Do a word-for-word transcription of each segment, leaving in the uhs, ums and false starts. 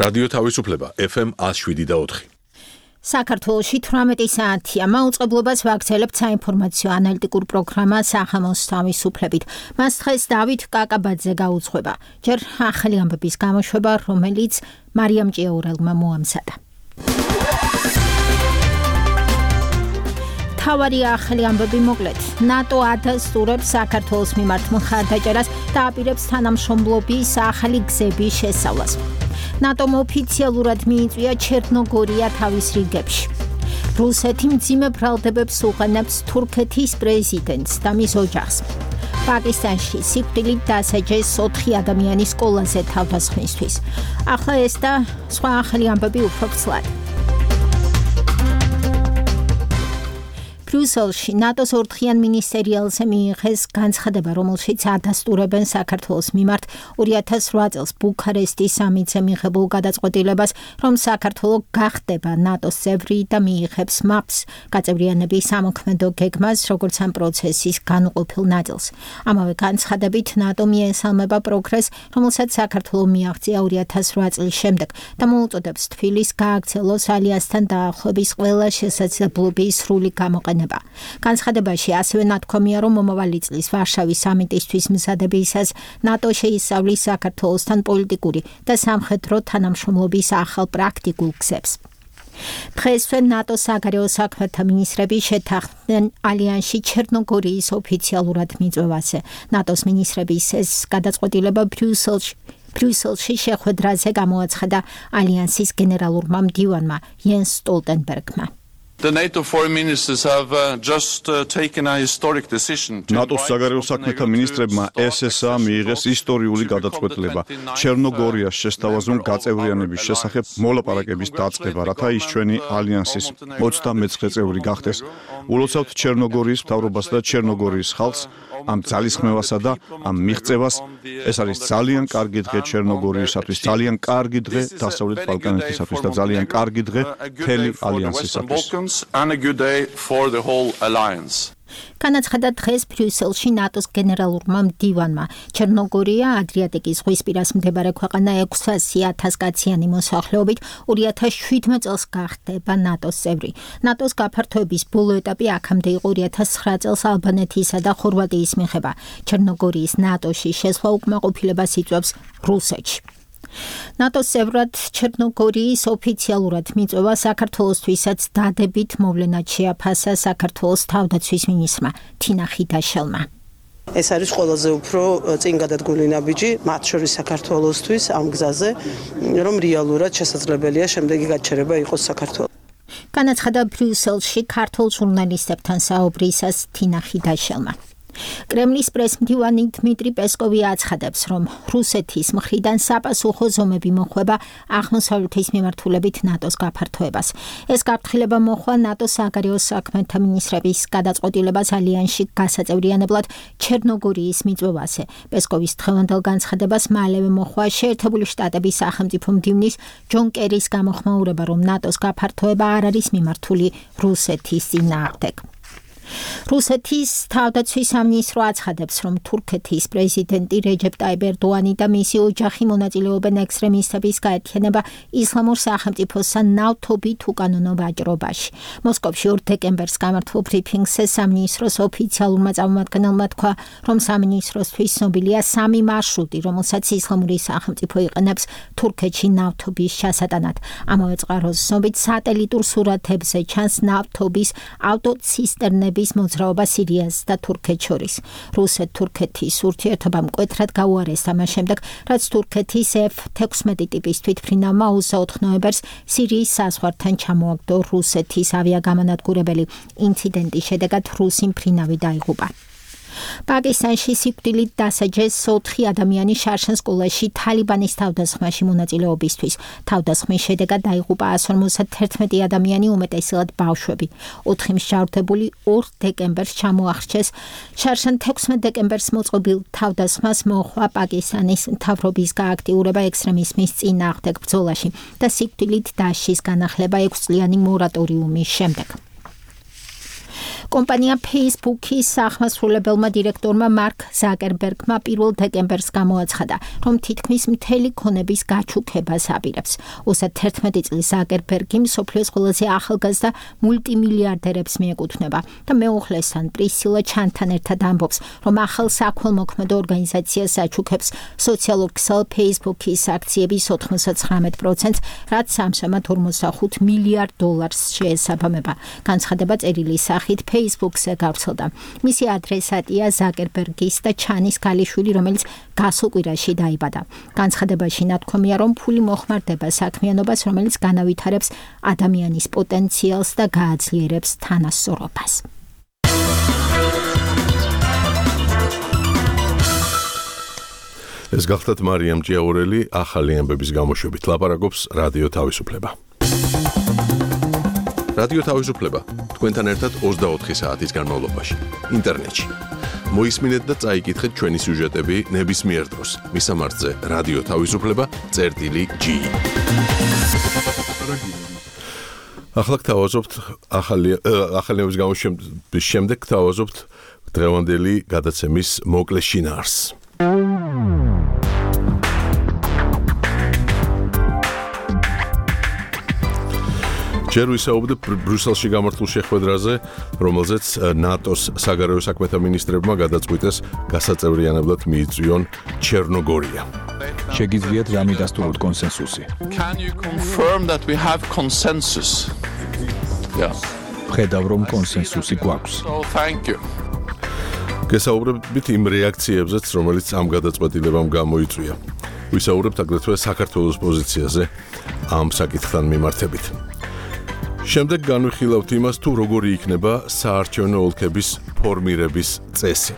რადიო თავისუფლება ეფ ემ ათს შვიდი და ოთხი. საქართველოში თვრამეტი საათია მაუწყებლობას ვაგრძელებთ საინფორმაციო ანალიტიკურ პროგრამა სახამოს თავისუფლებით. მას დღეს დავით კაკაბაძე გაუძღვება. ჯერ ახალი ამბების გამოშვება, რომელიც მარიამ ჭიაურელმა მოამზადა. თავარი ახალი ამბები მოკლედ. ნატო ადასტურებს საქართველოს მიმართ მხარდაჭერას და აპირებს თანამშრომლობის ახალი გზების შესწავლას. ნატომ ოფიციალურად მიიწვია ჩერნოგორია თავის რიგებში. რუსეთი მძიმე ბრალდებებს უყენებს თურქეთის პრეზიდენტს და მის ოჯახს. პაკისტანში სიკვდილით დასაჯეს ოთხი ადამიანის სკოლაზე თავდასხმისთვის. ახლა ეს და სხვა ახალი ამბები უფრო ცლად. ბრიუსელში ნატოს ორდღიან მინისტერიალზე მიიღეს განცხადება, რომელშიც ადასტურებენ საქართველოს მიმართ ორი ათას ოთხ წელს ბუქარესტის სამიტზე მიღებულ გადაწყვეტილებას, რომ საქართველო გახდება ნატოს წევრი და მიიღებს მაპს გაწევრიანების სამოქმედო გეგმას, როგორც ამ პროცესის განუყოფილ ნაწილს. ამავე განცხადებით ნატო მიესალმება პროგრესს, რომელსაც საქართველო მიაღწია ორი ათას ოთხ წლის შემდეგ და მოუწოდებს თბილისს გააგრძელოს ალიანსთან დაახლოების ყველა შესაძლებლობის სრული გამოყენება. განცხადებაში ასევე ნათქვამია, რომ მომავალი წლის ვარშავის სამიტისთვის მზადებისას ნატო შეისწავლის საქართველოსთან პოლიტიკური და სამხედრო თანამშრომლობის ახალ პრაქტიკულ გზებს. დღესვე ნატოს საგარეო საქმეთა მინისტრები შეთანხმდნენ ალიანსში ჩერნოგორიის ოფიციალურად მიწვევაზე. ნატოს მინისტრების ეს გადაწყვეტილება ბრიუსელში ბრიუსელში შეხვედრაზე გამოაცხადა ალიანსის გენერალურმა მდივანმა იენს სტოლტენბერგმა. The NATO foreign ministers have uh, just uh, taken a historic decision. ნატოს საგარეო საქმეთა მინისტრებმა ეს ეს ა მიიღეს ისტორიული გადაწყვეტილება ჩერნოგორიას შესთავაზონ გაწევრიანების შესახებ მოლაპარაკების დაწყება, რათა ის ჩვენი ალიანსის ოცდამეცხრე წევრი გახდეს. ულოცავთ ჩერნოგორიის მთავრობას და ჩერნოგორიის ხალხს ამ ძალისხმევასა და ამ მიღწევას. ეს არის ძალიან კარგი დღე ჩერნოგორიისათვის, ძალიან კარგი დღე დასავლეთ ბალკანეთისათვის და ძალიან კარგი დღე მთელი ალიანსისათვის. And a good day for the whole alliance. განაცხადა დღეს ბრიუსელში ნატოს გენერალურმა მდივანმა. ჩერნოგორია ადრიატიკის ზღვისპირას მდებარე ქვეყანა ექვსასი ათას კაციანი მოსახლეობით ორი ათას შვიდმეტ წელს გახდება ნატოს წევრი. ნატოს გაფართოების ბოლო ეტაპი აქამდე იყო ორი ათას ცხრა წელს ალბანეთისა და ხორვატიის მიღება. ჩერნოგორიის ნატოში შესვლა უკმაყოფილებას იწვევს რუსეთში. ნატოს წევრად ჩერნოგორიის ოფიციალურად მიწვევა საქართველოსთვისაც დადებით მოვლენად შეაფასა საქართველოს თავდაცვის მინისტრმა თინა ხიდაშელმა. ეს არის ყველაზე უფრო წინ გადადგმული ნაბიჯი მათ შორის საქართველოსთვის ამ გზაზე, რომ რეალურად შესაძლებელია შემდეგი გაჩერება იყოს საქართველოს. განაცხადა ბრიუსელში ქართულ ჟურნალისტებთან საუბრისას თინა ხიდაშელმა. კრემლის პრესმდივანი დმიტრი პესკოვი აცხადებს, რომ რუსეთის მხრიდან საპასუხო ზომები მოხვება აღმოსავლეთის მიმართულებით ნატოს გაფართოებას. ეს გაფრთხილება მოხვა ნატოს საგარეო საქმეთა მინისტრების გადაწყვეტილებას ალიანსში გასაწევრიანებლად ჩერნოგორიის მიწვევაზე. პესკოვის დღევანდელ განცხადებას მალევე მოხვა შეერთებული შტატების სახელმწიფო მდივნის ჯონ კერის გამოხმაურება, რომ ნატოს გაფართოება არ არის მიმართული რუსეთის წინააღმდეგ. რუსეთის თავდაცვის სამინისტრო აცხადებს, რომ თურქეთის პრეზიდენტი რეჯეპ ტაიპ ერდოანი და მისი ოჯახი მონაწილეობენ ექსტრემისტების გაერთიანება ისლამურ სახელმწიფოსთან ნავთობით უკანონო ვაჭრობაში. მოსკოვში ორ დეკემბერს გამართულ ბრიფინგზე სამინისტროს ოფიციალურმა წარმომადგენელმა თქვა, რომ სამინისტროსთვის ცნობილია სამი მარშრუტი, რომელსაც ისლამური სახელმწიფო იყენებს თურქეთში ნავთობის ჩასატანად. ამავე წყაროს ცნობით სატელიტურ სურათებზე ჩანს ნავთობის ავტოცისტერნები მოძრაობა სირიას და თურქეთს შორის. რუსეთ-თურქეთის ურთიერთობა მკვეთრად გაუარესდა მას შემდეგ, რაც თურქეთის ეფ თექვსმეტი ტიპის თვითმფრინავმა ოცდაოთხ ნოემბერს სირიის საზღვართან ჩამოაგდო რუსეთის ავიაგამანადგურებელი. ინციდენტის შედეგად რუსი მფრინავი დაიღუპა. პაკისტანში სიკვდილით დასაჯეს ოთხი ადამიანი შარშან სკოლაში თალიბანის თავდასხმაში მონაწილეობისთვის. თავდასხმის შედეგად დაიღუპა ასი ორმოცდათერთმეტი ადამიანი, უმეტესად ბავშვები. ოთხი მსჯავრდებული ორ დეკემბერს ჩამოახრჩეს. შარშან თექვსმეტ დეკემბერს მოწყობილ თავდასხმას მოჰყვა პაკისტანის მთავრობის გააქტიურება ექსტრემიზმის წინააღმდეგ ბრძოლაში და სიკვდილით დასჯის განახლება ექვსწლიანი მორატორიუმის შემდეგ. კომპანია Facebook-ის აღმასრულებელმა დირექტორმა მარკ ზაკერბერგმა პირველ დეკემბერს გამოაცხადა, რომ თითქმის მთელი ქონების გაჩუქებას აპირებს. ოცდაათერთმეტი წლის ზაკერბერგი მსოფლიოს ყველაზე ახალგაზრდა მულტიმილიარდერებს მიეკუთვნება და მეუღლესთან პრისილა ჩანთან ერთად ამბობს, რომ ახალ საქველმოქმედო ორგანიზაციას აჩუქებს სოციალურ ქსელ Facebook-ის აქციების ოთხმოცდათხრამეტ პროცენტს, რაც ამჟამად ორმოცდახუთ მილიარდ დოლარს შეესაბამება. განცხადება წერილი სახით Facebook-ზე გავრცელდა. მისი ადრესატია ზაკერბერგის და ჩანის ქალიშვილი, რომელიც გასულ კვირაში დაიბადა. განცხადებაში ნათქვამია, რომ ფული მოხმარდება საქმიანობას, რომელიც განავითარებს ადამიანის პოტენციალს და გააძლიერებს თანასწორობას. ეს გახლდათ მარიამ ჭიაურელი ახალი ამბების გამოშვებით ლაპარაკობს რადიო თავისუფლება. რადიო თავისუფლება თქვენთან ერთად ოცდაოთხი საათის განმავლობაში ინტერნეტში. მოისმინეთ და წაიკითხეთ ჩვენი სიუჟეტები ნებისმიერ დროს. მისამართზე რადიო თავისუფლება წერტილი ჯი. ახლა გთავაზობთ ახალი ახალი ამბების გამოშვების შემდეგ გთავაზობთ დღევანდელი გადაცემის მოკლე შინაარსს. ჯერ ვისაუბრებ ბრიუსელში გამართულ შეხვედრაზე, რომელზეც ნატოს საგარეო საქმეთა მინისტრებმა გადაწყვიტეს გასაწევრიანებლად მიიწვიონ ჩერნოგორია. შეგიძლიათ რა მიდასტუროთ კონსენსუსი? Can you confirm that we have consensus? Yeah. ხედავ რომ კონსენსუსი გვაქვს. So thank you. გესაუბრებით იმ რეაქციებზეც, რომელიც ამ გადაწყვეტილებამ გამოიწვია. ვისაუბრებთ აგრეთვე საქართველოს პოზიციაზე ამ საკითხთან მიმართებით. შემდეგ განვიხილავთ იმას, თუ როგორი იქნება საარჩევნო ოლქების ფორმირების წესი.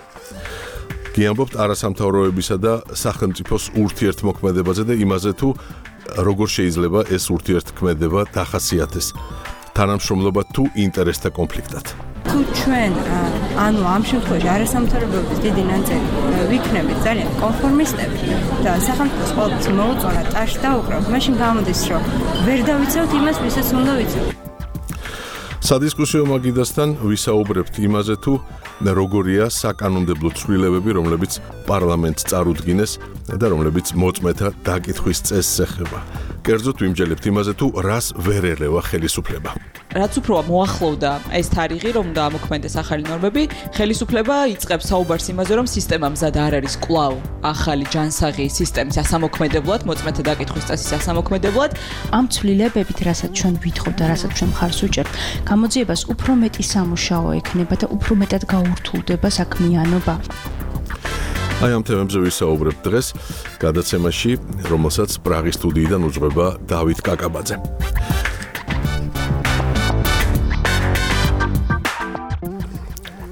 გიამბობთ არასამთავროებისა და სახელმწიფოს ურთიერთმოქმედებაზე და იმაზე, თუ როგორ შეიძლება ეს ურთიერთქმედება დახასიათდეს, თანამშრომლობა თუ ინტერესთა კონფლიქტად. თუ ჩვენ ანუ ამ შემთხვევაში არასამთავრობოების დიდი ნაწილი ვიქნებით ძალიან კონფორმისტები და სახელმწიფოს ყოველთვის მოუწონა ტაშს დაუკრავთ, მაშინ გამოდის, რომ ვერ დავიცავთ იმას, ვისაც უნდა ვიცავთ. სადისკუსიო მაგიდასთან ვისაუბრებთ იმაზე, თუ როგორია საკანონმდებლო ცვლილებები, რომლებიც პარლამენტს წარუდგინეს და რომლებიც მოწმეთა დაკითხვის წესს ეხება. კერძოდ ვიმჯელებთ იმაზე, თუ რას ვერ ელევა ხელისუფლება. რაც უფრო მოახლოვდა ეს თარიღი, რომ დაამოქმედდეს ახალი ნორმები, ხელისუფლება იწყებს საუბარს იმაზე, რომ სისტემა მზად არ არის კვლავ ახალი ჯანსაღი სისტემის ასამოქმედებლად, მოწმეთა დაკითხვის წესის ასამოქმედებლად. ამ ცვლილებებით, რასაც ჩვენ ვითხოვთ და რასაც ჩვენ მხარს ვუჭერთ, გამოძიებას უფრო მეტი სამუშაო ექნება და უფრო მეტად გაურთულდება საქმიანობა. აი ამ თემებზე ვისაუბრებთ დღეს გადაცემაში, რომელსაც პრაღის სტუდიიდან უძღვება დავით კაკაბაძე.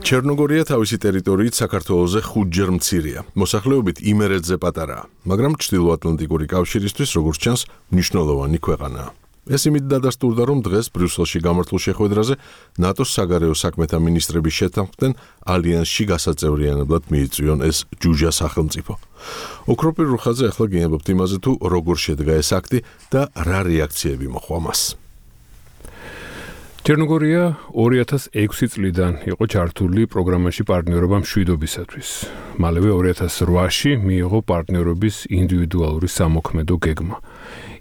ჩერნოგორია თავისი ტერიტორიით საქართველოზე ხუთჯერ მცირეა. მოსახლეობით იმერეთზე პატარაა, მაგრამ ჩრდილოატლანტიკური კავშირისთვის, როგორც ჩანს, მნიშვნელოვანი ქვეყანაა. ეს იმით დადასტურდა, რომ დღეს ბრიუსელში გამართულ შეხვედრაზე ნატოს საგარეო საქმეთა მინისტრები შეთანხმდნენ ალიანსში გასაწევრიანებლად მიიწვიონ ეს ჯუჯა სახელმწიფო. ოქროპირ რუხაძე ახლა გიამბობთ იმაზე, თუ როგორ შედგა ეს აქტი და რა რეაქციები მოჰყვა მას. ჩერნოგორია ორი ათას ექვსი წლიდან იყო ჩართული პროგრამაში პარტნიორობა მშვიდობისათვის. მალევე ორი ათას რვაში მიიღო პარტნიორობის ინდივიდუალური სამოქმედო გეგმა.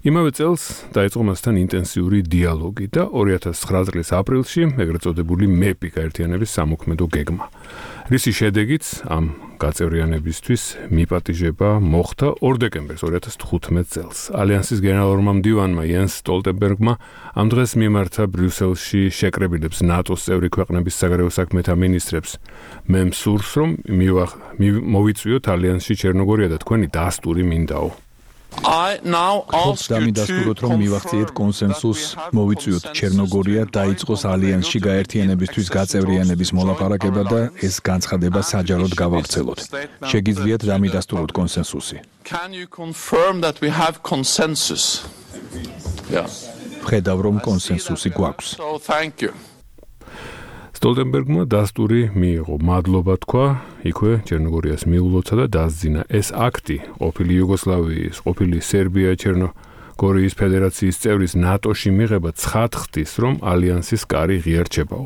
იმავე წელს დაიწყო მასთან ინტენსიური დიალოგი და ორი ათას ცხრა წლის აპრილში ეგრეთ წოდებული მეპი გაერთიანების სამოქმედო გეგმა. რისი შედეგიც ამ გაწევრიანებისთვის მიპატიჟება მოხდა ორ დეკემბერს ორი ათას თხუთმეტ წელს. ალიანსის გენერალურმა მდივანმა იენს სტოლტენბერგმა ამ დღეს მიმართა ბრიუსელში შეკრებილებს ნატოს წევრი ქვეყნების საგარეო საქმეთა მინისტრებს. მე მსურს, რომ მოვიწვიოთ ალიანსში ჩერნოგორია და თქვენი დასტური მინდაო. I now ask you დამიდასტუროთ, რომ მივახციეთ კონსენსუსს, მოვიწვიოთ ჩერნოგორია დაიწყოს ალიანსში გაერთიანებისთვის გაწევრიანების მოლაპარაკება და ეს განცხადება საჯაროდ გავავრცელოთ. შეგიძლიათ დამიდასტუროთ კონსენსუსი. Can you confirm that we have consensus? Yeah. ხედავ რომ კონსენსუსი გვაქვს. So thank you. სტოლტენბერგმა დასტური მიიღო, მადლობა თქვა, იქვე ჩერნოგორიას მიულოცა და დასძინა. ეს აქტი ყოფილი იუგოსლავიის, ყოფილი სერბია, ჩერნო გორიის ფედერაციის წევრის ნატოში მიღება ცხადხდის, რომ ალიანსის კარი ღია რჩებაო.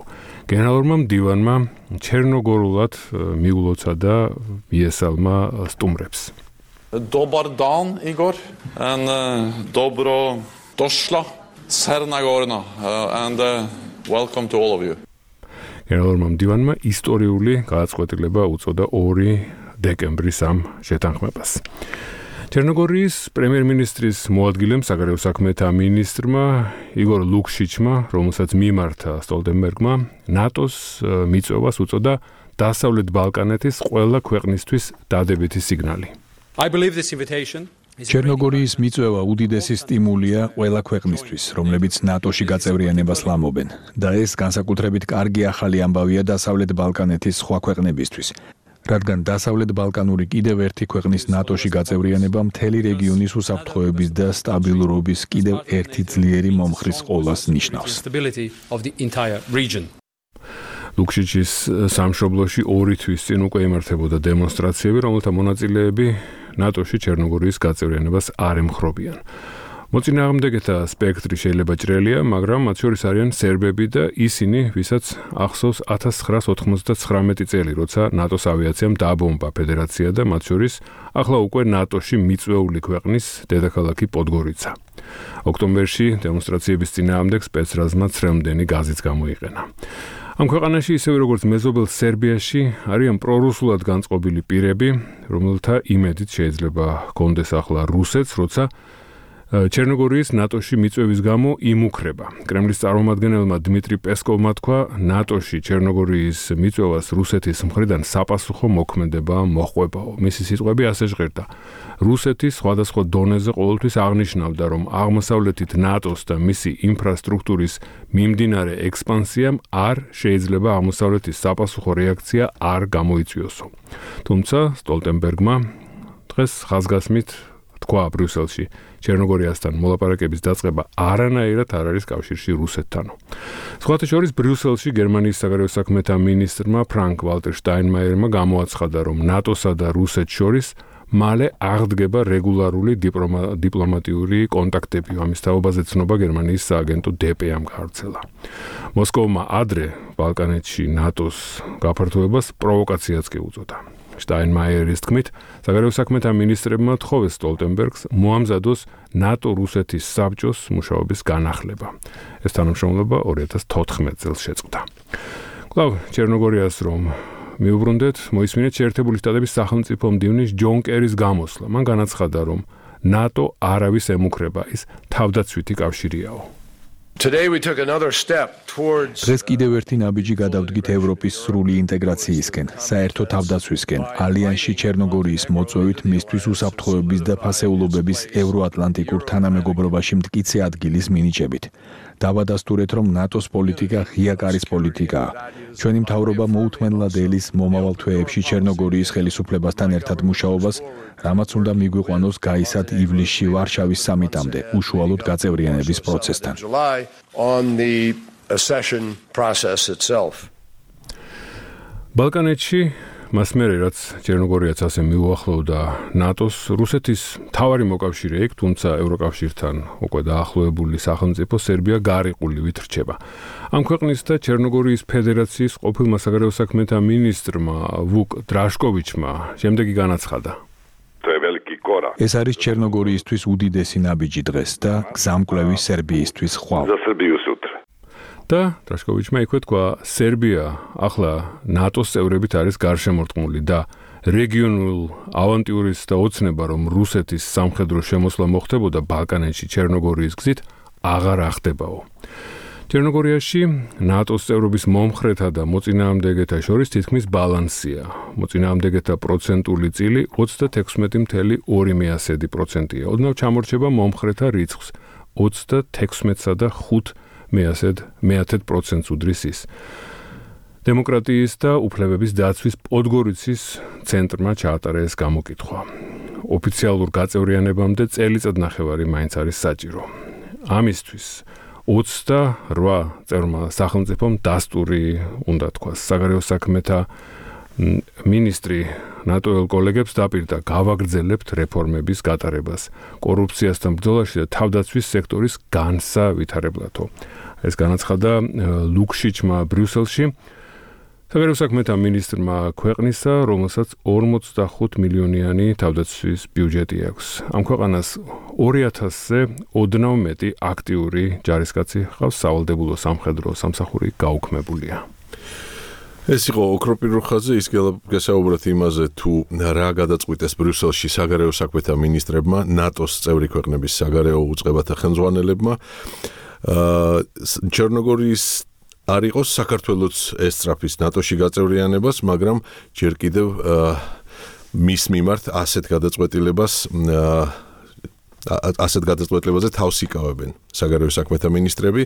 გენერალურმა მდივანმა ჩერნოგორულად მიულოცა და მიესალმა სტუმრებს. Dobar dan, Igor, and uh, dobro došla, Černogorna, uh, and uh, welcome to all of you. გენერალურმა მდივანმა ისტორიული გადაწყვეტილება უწოდა ორი დეკემბრის ამ შეთანხმებას. ჩერნოგორიის პრემიერ-მინისტრის მოადგილემ საგარეო საქმეთა მინისტრმა იგორ ლუქშიჩმა, რომელსაც მიმართა სტოლტენბერგმა, ნატოს მიწვევას უწოდა დასავლეთ ბალკანეთის ყველა ქვეყნისთვის დადებითი სიგნალი. I believe this invitation ჩერნოგორიის მიწვევა უდიდესი სტიმულია ყველა ქვეყნისთვის, რომლებიც ნატოში გაწევრიანებას ლამობენ და ეს განსაკუთრებით კარგი ახალი ამბავია დასავლეთ ბალკანეთის სხვა ქვეყნებისთვის. რადგან დასავლეთ ბალკანური კიდევ ერთი ქვეყნის ნატოში გაწევრიანება მთელი რეგიონის უსაფრთხოების და სტაბილურობის კიდევ ერთი ძლიერი მომხრის ყოლას ნიშნავს. ლუქშიჩის სამშობლოში ორი თვის წინ უკვე იმართებოდა დემონსტრაციები, რომელთა მონაწილეები ნატოში ჩერნოგორიის გაწევრიანებას არ ემხრობიან. მოწინააღმდეგეთა სპექტრი შეიძლება ჭრელია, მაგრამ მათ შორის არიან სერბები და ისინი, ვისაც ახსოვს ათას ცხრაას ოთხმოცდაცხრამეტი წელი, როცა ნატოს ავიაციამ დააბომბა ფედერაცია და მათ შორის ახლა უკვე ნატოში მიწვეული ქვეყნის დედაქალაქი პოდგორიცა. ოქტომბერში დემონსტრაციების წინააღმდეგ სპეცრაზმა ცრემლდენი გაზიც გამოიყენა. ამ ქვეყანაში ისევე როგორც მეზობელ სერბიაში არიან პრორუსულად განწყობილი პირები, რომელთა იმედით შეიძლება ჰქონდეს ახლა რუსეთს, როცა ჩერნოგორიის ნატოში მიწვევის გამო იმუქრება. კრემლის წარმომადგენელმა დმიტრი პესკოვმა თქვა, ნატოში ჩერნოგორიის მიწვევას რუსეთის მხრიდან საპასუხო მოქმედება მოჰყვებაო. მისი სიტყვები ასე ჟღერდა: რუსეთი სხვადასხვა დონეზე ყოველთვის აღნიშნავდა, რომ აღმოსავლეთით ნატოს და მისი ინფრასტრუქტურის მიმდინარე ექსპანსიამ არ შეიძლება აღმოსავლეთის საპასუხო რეაქცია არ გამოიწვიოსო. თუმცა სტოლტენბერგმა დღეს ხაზგასმით თქვა ბრიუსელში, ჩერნოგორიასთან მოლაპარაკების დაწყება არანაირად არ არის კავშირში რუსეთთანო. სხვათა შორის ბრიუსელში გერმანიის საგარეო საქმეთა მინისტრმა ფრანკ ვალტერ შტაინმაიერმა გამოაცხადა, რომ ნატოსა და რუსეთს შორის მალე აღდგება რეგულარული დიპლომატიური კონტაქტები. ამის თაობაზე ცნობა გერმანიის სააგენტო დე პე-ამ გაავრცელა. მოსკოვმა ადრე ბალკანეთში ნატოს გაფართოებას პროვოკაციაც კი უწოდა. შტაინმაიერის თქმით, საგარეო საქმეთა მინისტრებმა თხოვეს სტოლტენბერგს მოამზადოს ნატო-რუსეთის საბჭოს მუშაობის განახლება. ეს თანამშრომლობა ორი ათას თოთხმეტ წელს შეწყდა. კვლავ ჩერნოგორიას რომ მიუბრუნდეთ, მოისმინეთ შეერთებული შტატების სახელმწიფო მდივნის ჯონ კერის გამოსვლა. მან განაცხადა, რომ ნატო არავის ემუქრება, ის თავდაცვითი კავშირიაო. დღეს კიდევ ერთი ნაბიჯი გადავდგით ევროპის სრული ინტეგრაციისკენ, საერთო თავდაცვისკენ, ალიანსში ჩერნოგორიის მოწვევით მისთვის უსაფრთხოების და ფასეულობების ევროატლანტიკურ თანამეგობრობაში მტკიცე ადგილის მინიჭებით. დავადასტურეთ, რომ ნატოს პოლიტიკა ღია კარის პოლიტიკაა. ჩვენი მთავრობა მოუთმენლად ელის მომავალ თვეებში ჩერნოგორიის ხელისუფლებასთან ერთად მუშაობას, რამაც უნდა მიგვიყვანოს გაისად ივლისში ვარშავის სამიტამდე, უშუალოდ გაწევრიანების პროცესთან. ბალკანეთში მას მერე რაც ჩერნოგორიაც ასე მიუახლოვდა ნატოს, რუსეთის მთავარი მოკავშირე იქ, თუმცა ევროკავშირთან უკვე დაახლოებული სახელმწიფო სერბია გარიყულივით რჩება. ამ ქვეყნის და ჩერნოგორიის ფედერაციის ყოფილმა საგარეო საქმეთა მინისტრმა ვუკ დრაშკოვიჩმა შემდეგი განაცხადა: ეს არის ჩერნოგორიისთვის უდიდესი ნაბიჯი დღეს და გზამკვლევი სერბიისთვის ხვალ. და დრაშკოვიჩმა იქვე თქვა, სერბია ახლა ნატოს წევრებით არის გარშემორტყმული და რეგიონულ ავანტიურის და ოცნება, რომ რუსეთის სამხედრო შემოსვლა მოხდებოდა ბალკანეთში ჩერნოგორიის გზით, აღარ ახდებაო. ჩერნოგორიაში ნატოს წევრობის მომხრეთა და მოწინააღმდეგეთა შორის თითქმის ბალანსია. მოწინააღმდეგეთა პროცენტული წილი ოცდათექვსმეტი ფاصლე ორი პროცენტია. ოდნავ ჩამორჩება მომხრეთა რიცხვს ოცდათექვსმეტსა და ხუთ მეათედ პროცენტს უდრის ის. დემოკრატიის და უფლებების დაცვის პოდგორიცის ცენტრმა ჩაატარა ეს გამოკითხვა. ოფიციალურ გაწევრიანებამდე წელიწადნახევარი მაინც არის საჭირო. ამისთვის ოცდარვა წევრმა სახელმწიფომ დასტური უნდა თქვას. საგარეო საქმეთა მინისტრი ნატოელ კოლეგებს დაპირდა გავაგრძელებთ რეფორმების გატარებას კორუფციასთან ბრძოლაში და თავდაცვის სექტორის განსავითარებლათო. ეს განაცხადა ლუქშიჩმა ბრიუსელში. საგარეო საქმეთა მინისტრმა ქვეყნისა, რომელსაც ორმოცდახუთ მილიონიანი თავდაცვის ბიუჯეტი აქვს. ამ ქვეყანას ორი ათასზე ოდნავ მეტი აქტიური ჯარისკაცი ჰყავს, სავალდებულო სამხედრო სამსახური გაუქმებულია. ეს იყო ოქროპირო ხაზზე, ის გესაუბრეთ იმაზე, თუ რა გადაწყვიტეს ბრიუსელში საგარეო საქმეთა მინისტრებმა, ნატოს წევრი ქვეყნების საგარეო უწყებათა ხელმძღვანელებმა. ჩერნოგორიის არ იყოს საქართველოს ესწრაფის ნატოში გაწევრიანებას, მაგრამ ჯერ კიდევ მის მიმართ ასეთ გადაწყვეტილებას ასეთ გადაწყვეტილებაზე თავს იკავებენ საგარეო საქმეთა მინისტრები.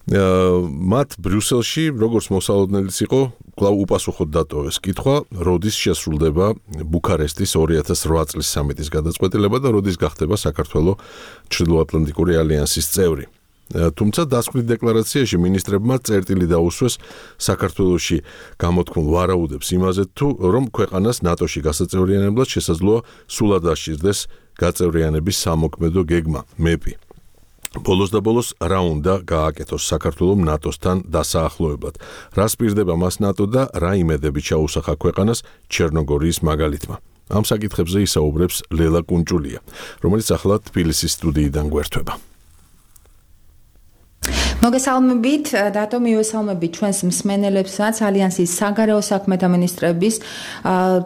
მათ ბრიუსელში, როგორც მოსალოდნელიც იყო, კვლავ უპასუხოდ დატოვეს კითხვა, როდის შესრულდება ბუქარესტის ორი ათას ოთხ წლის სამიტის გადაწყვეტილება და როდის გახდება საქართველოს ჩრდილოატლანტიკური ალიანსის წევრი. თუმცა დასკვნით დეკლარაციაში მინისტრებმა წერტილი დაუსვეს საქართველოში გამოთქმულ ვარაუდებს იმაზე თუ რომ ქვეყანას ნატოში გასაწევრიანებლად შესაძლოა სულად აღჭირდეს გაწევრიანების სამოქმედო გეგმა მეპი. ბოლოს და ბოლოს რა უნდა გააკეთოს საქართველოს ნატოსთან დასაახლოებლად. რა სპირდება მას ნატო და რა იმედები ჩაუსახა ქვეყანას ჩერნოგორიის მაგალითმა. ამ საკითხებზე ისაუბრებს ლელა კუნჭულია, რომელიც ახლა თბილისის სტუდიიდან გვერდება. მოგესალმებით, დატო მივესალმებით ჩვენს მსმენელებსაც ალიანსის საგარეო საქმეთა მინისტრების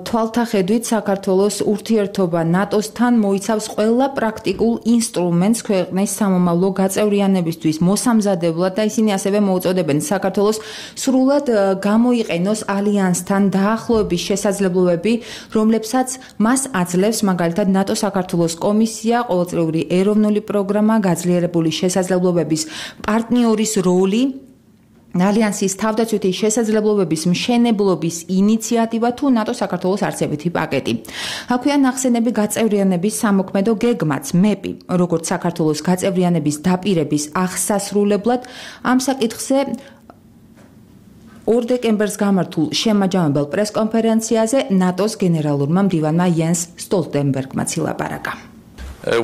თვალთახედვით საქართველოს ურთიერთობა ნატოსთან მოიცავს ყველა პრაქტიკულ ინსტრუმენტს ქვეყნის სამომავლო გაწევრიანებისთვის მოსამზადებლად და ისინი ასევე მოუწოდებენ საქართველოს სრულად გამოიყენოს ალიანსთან დაახლოების შესაძლებლობები, რომლებსაც მას აძლევს მაგალითად ნატო-საქართველოს კომისია, ყოველწლიური ეროვნული პროგრამა, გაძლიერებული შესაძლებლობების პარტნიორის როლი, ალიანსის თავდაცვითი შესაძლებლობების მშენებლობის ინიციატივა თუ ნატო-საქართველოს არჩევითი პაკეტი. აქვეა ნახსენები გაწევრიანების სამოქმედო გეგმაც, მეპი, როგორც საქართველოს გაწევრიანების დაპირების აღსასრულებლად, ამ საკითხზე ორ დეკემბერს გამართულ შემაჯამებელ პრესკონფერენციაზე ნატოს გენერალურმა მდივანმა იენს სტოლტენბერგმა ცილაპარაკა.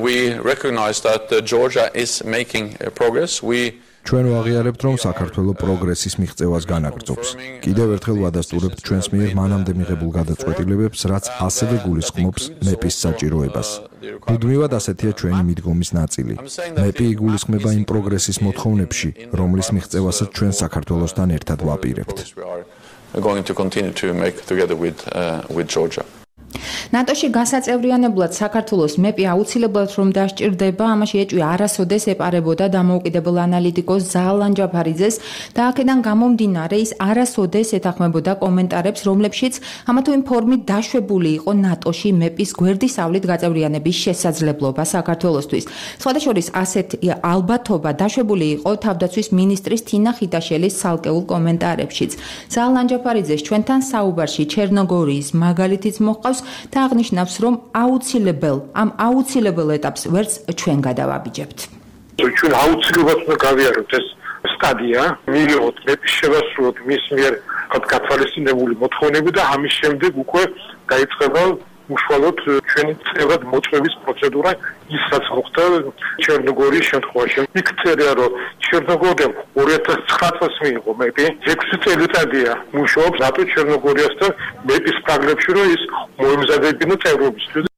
We recognize that Georgia is making progress. We ჩვენ ვაღიარებთ, რომ საქართველოს პროგრესის მიღწევას განაგრძობს. კიდევ ერთხელ ვადასტურებთ ჩვენს მიერ მანამდე მიღებულ გადაწყვეტილებებს, რაც ასევე გულისხმობს მეპის საჭიროებას. მუდმივად ასეთია ჩვენი მიდგომის ნაწილი. მეპი იგულისხმება იმ პროგრესის მოთხოვნებში, რომლის მიღწევასაც ჩვენ საქართველოსთან ერთად ვაპირებთ. ნატოში გასაწევრიანებლად საქართველოს მეპი აუცილებლად რომ დასჭირდება, ამაში ეჭვი არასოდეს ეპარებოდა დამოუკიდებელ ანალიტიკოს ზაალან ჯაფარიძეს და აქედან გამომდინარე ის არასოდეს ეთანხმებოდა კომენტარებს, რომლებშიც ამა თუ იმ ფორმით დაშვებული იყო ნატოში მეპის გვერდისავლით გაწევრიანების შესაძლებლობა საქართველოსთვის. სხვადასხვა ასეთ ალბათობა დაშვებული იყო თავდაცვის მინისტრის თინა ხიტაშელის ცალკეულ კომენტარებშიც. ზაალან ჯაფარიძეს ჩვენთან საუბარში ჩერნოგორიის მაგალითიც მოჰყავს და აღნიშნავს, რომ აუცილებელ ამ აუცილებელ ეტაპს ვერც ჩვენ გადავაბიჯებთ. ჩვენ აუცილებლად უნდა გავიაროთ ეს სტადია, მივიღოთ მეპის შევასრულოთ მის მიერ გათვალისწინებული მოთხოვნები და ამის შემდეგ უკვე დაიწყება უშუალოდ ჩვენი წევრად მოწვევის პროცედურა, ის რაც მოხდა ჩერნოგორიის შემთხვევაში. იქ წერია, რომ ჩერნოგორიამ ორი ათას ცხრა წელს მიიღო მეპი, ექვსი წელიწადია მუშაობს ნატო ჩერნოგორიასთან მეპის პრაგრებში, რომ ის მოემზადებინა წევრობისთვის.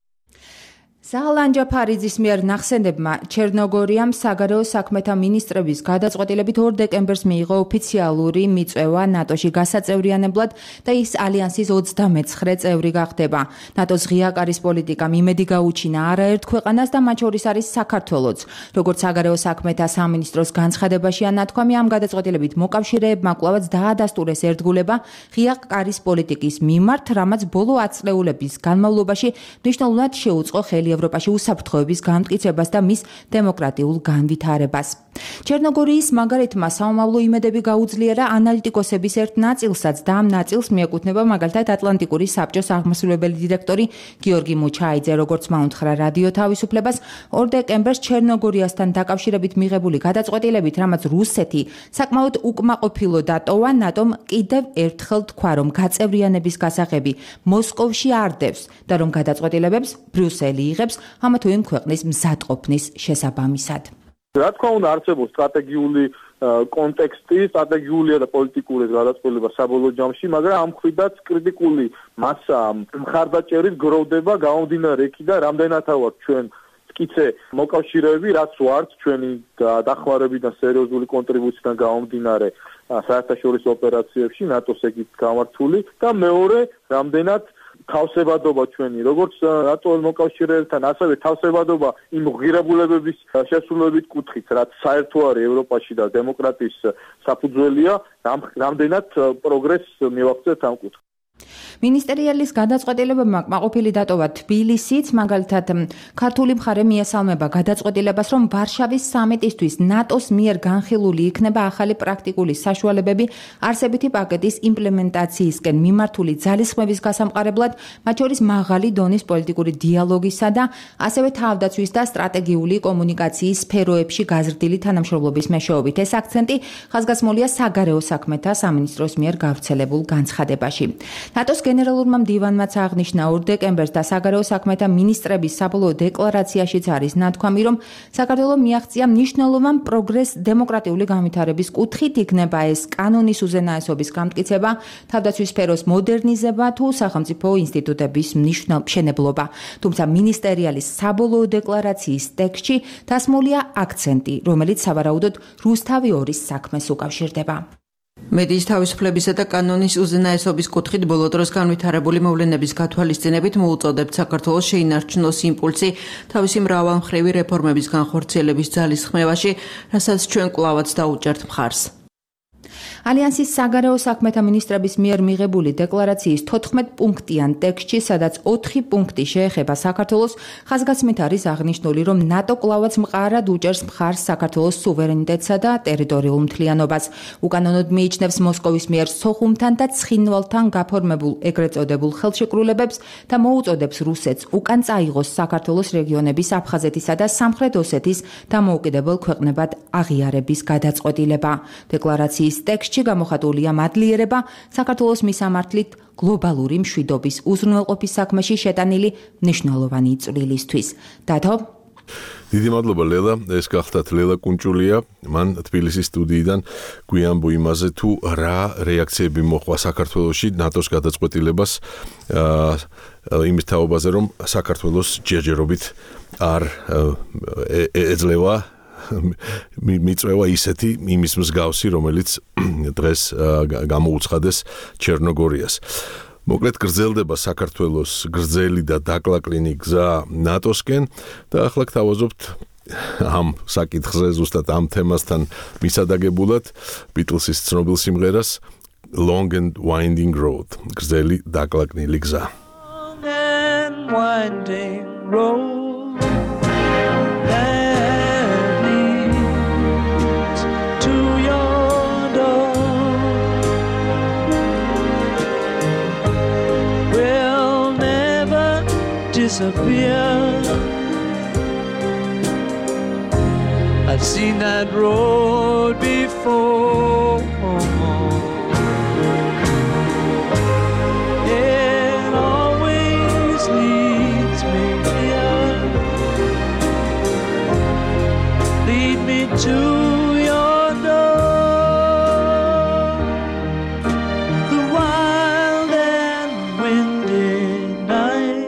ზაალან ჯაფარიძის მიერ ნახსენებმა ჩერნოგორიამ საგარეო საქმეთა მინისტრების გადაწყვეტილებით ორ დეკემბერს მიიღო ოფიციალური მიწვევა ნატოში გასაწევრიანებლად და ის ალიანსის ოცდამეცხრე წევრი გახდება. ნატოს ღია კარის პოლიტიკამ იმედი გაუჩინა არაერთ ქვეყანას და მათ შორის არის საქართველოც. როგორც საგარეო საქმეთა სამინისტროს განცხადებაშია ნათქვამი, ამ გადაწყვეტილებით მოკავშირეებმა კვლავაც დაადასტურეს ერთგულება ღია კარის პოლიტიკის მიმართ, რამაც ბოლო ათწლეულების განმავლობაში მნიშვნელოვნად შეუწყო ხელი ევროპაში უსაფრთხოების გამტკიცებას და მის დემოკრატიულ განვითარებას. ჩერნოგორიის მაგალითმა საომავლო იმედები გაუძლიერა ანალიტიკოსების ერთ ნაწილსაც და ამ ნაწილს მიეკუთვნება მაგალითად ატლანტიკური საბჭოს აღმასრულებელი დირექტორი გიორგი მუჩაიძე, როგორც მაუნთხრა რადიო თავისუფლებას, ორ დეკემბერს ჩერნოგორიასთან დაკავშირებით მიღებული გადაწყვეტილებით, რამაც რუსეთი საკმაოდ უკმაყოფილო დატოვა, ნატომ კიდევ ერთხელ თქვა, რომ გაწევრიანების გასაღები მოსკოვში არ დევს და რომ გადაწყვეტილებებს ბრიუსელი იღებს ამა თუ იმ ქვეყნის მზადყოფნის შესაბამისად. რა თქმა უნდა, არსებობს სტრატეგიული კონტექსტი, სტრატეგიულია და პოლიტიკური გადაწყვეტილება საბოლოო ჯამში, მაგრამ ამ მხრიდაც კრიტიკული მასა მხარდაჭერის გროვდება გამომდინარე იქიდან, რამდენად ავართ ჩვენ მტკიცე მოკავშირეები, რაც ვართ ჩვენი დახმარებიდან სერიოზული კონტრიბუციიდან გამომდინარე საერთაშორისო ოპერაციებში, ნატოს ეგით გამართული და მეორე, რამდენად თავსებადობა ჩვენი, როგორც ნატოს მოკავშირეებთან, ასევე თავსებადობა იმ ღირებულებების შესრულებით კუთხით, რაც საერთო არის ევროპაში და დემოკრატიის საფუძველია, რამდენად პროგრესს მივაღწევთ ამ კუთხით. მინისტერიალის გადაწყვეტილებებმა კმაყოფილი დატოვა თბილისიც, მაგალითად ქართული მხარე მიესალმება გადაწყვეტილებას, რომ ვარშავის სამიტისთვის ნატოს მიერ განხილული იქნება ახალი პრაქტიკული საშუალებები არსებითი პაკეტის იმპლემენტაციისკენ მიმართული ძალისხმების გასამყარებლად, მათ შორის მაღალი დონის პოლიტიკური დიალოგისა და ასევე თავდაცვის და სტრატეგიული კომუნიკაციის სფეროებში გაზრდილი თანამშრომლობის მეშვეობით. ეს აქცენტი ხაზგასმულია საგარეო საქმეთა სამინისტროს მიერ გავრცელებულ განცხადებაში. ნატოს გენერალურმა მდივანმაც აღნიშნა ორ დეკემბერს და საგარეო საქმეთა მინისტრების საბოლოო დეკლარაციაშიც არის ნათქვამი, რომ საქართველოს მიაღწია მნიშვნელოვან პროგრესს დემოკრატიული განვითარების კუთხით, იქნება ეს კანონის უზენაესობის გამტკიცება, თავდაცვის სფეროს მოდერნიზება თუ სახელმწიფო ინსტიტუტების მშენებლობა. თუმცა მინისტერიალის საბოლოო დეკლარაციის ტექსტში დასმულია აქცენტი, რომელიც სავარაუდოდ რუსთავი ორის საქმეს უკავშირდება. მედიის თავისუფლებისა და კანონის უზენაესობის კუთხით ბოლო დროს განვითარებული მოვლენების გათვალისწინებით მოუწოდებთ საქართველოს შეინარჩუნოს იმპულსი თავისი მრავალმხრივი რეფორმების განხორციელების ძალისხმევაში, რასაც ჩვენ კვლავაც დაუჭერთ მხარს. ალიანსის საგარეო საქმეთა მინისტრების მიერ მიღებული დეკლარაციის თოთხმეტ პუნქტიან ტექსტში, სადაც ოთხი პუნქტი შეეხება საქართველოს, ხაზგასმით არის აღნიშნული, რომ ნატო კვლავაც მყარად უჭერს მხარს საქართველოს სუვერენიტეტსა და ტერიტორიულ მთლიანობას. უკანონოდ მიიჩნევს მოსკოვის მიერ სოხუმთან და ცხინვალთან გაფორმებულ ეგრეთ წოდებულ ხელშეკრულებებს და მოუწოდებს რუსეთს უკან წაიღოს საქართველოს რეგიონების აფხაზეთისა და სამხრეთ ოსეთის დამოუკიდებელ ქვეყნებად აღიარების გადაწყვეტილება. დეკლარაციის ტექსტში გამოხატულია მადლიერება საქართველოს მისამართლით გლობალური მშვიდობის უზრუნველყოფის საქმეში შეტანილი მნიშვნელოვანი წვლილისთვის. დათო დიდი მადლობა ლელა, ეს გახდათ ლელა კუნჭულია, მან თბილისის სტუდიიდან გვიამბო იმაზე თუ რა რეაქციები მოხდა საქართველოში ნატოს გადაწყვეტილებას იმის თაობაზე, რომ საქართველოს ჯერჯერობით არ ეძლევა მიწვევა ისეთი იმის მსგავსი, რომელიც დღეს გამოუცხადეს ჩერნოგორიას. მოკლედ გრძელდება საქართველოს გრძელი და დაკლაკლინი გზა ნატოსკენ და ახლა გთავაზობთ ამ საკითხზე, ზუსტად ამ თემასთან მისადაგებულად ბიტლსის ცნობილ სიმღერას Long and Winding Road, გრძელი დაკლაკნილი გზა. Long and winding road disappear. I've seen that road before. It always leads me here. Lead me to your door. The wild and windy night.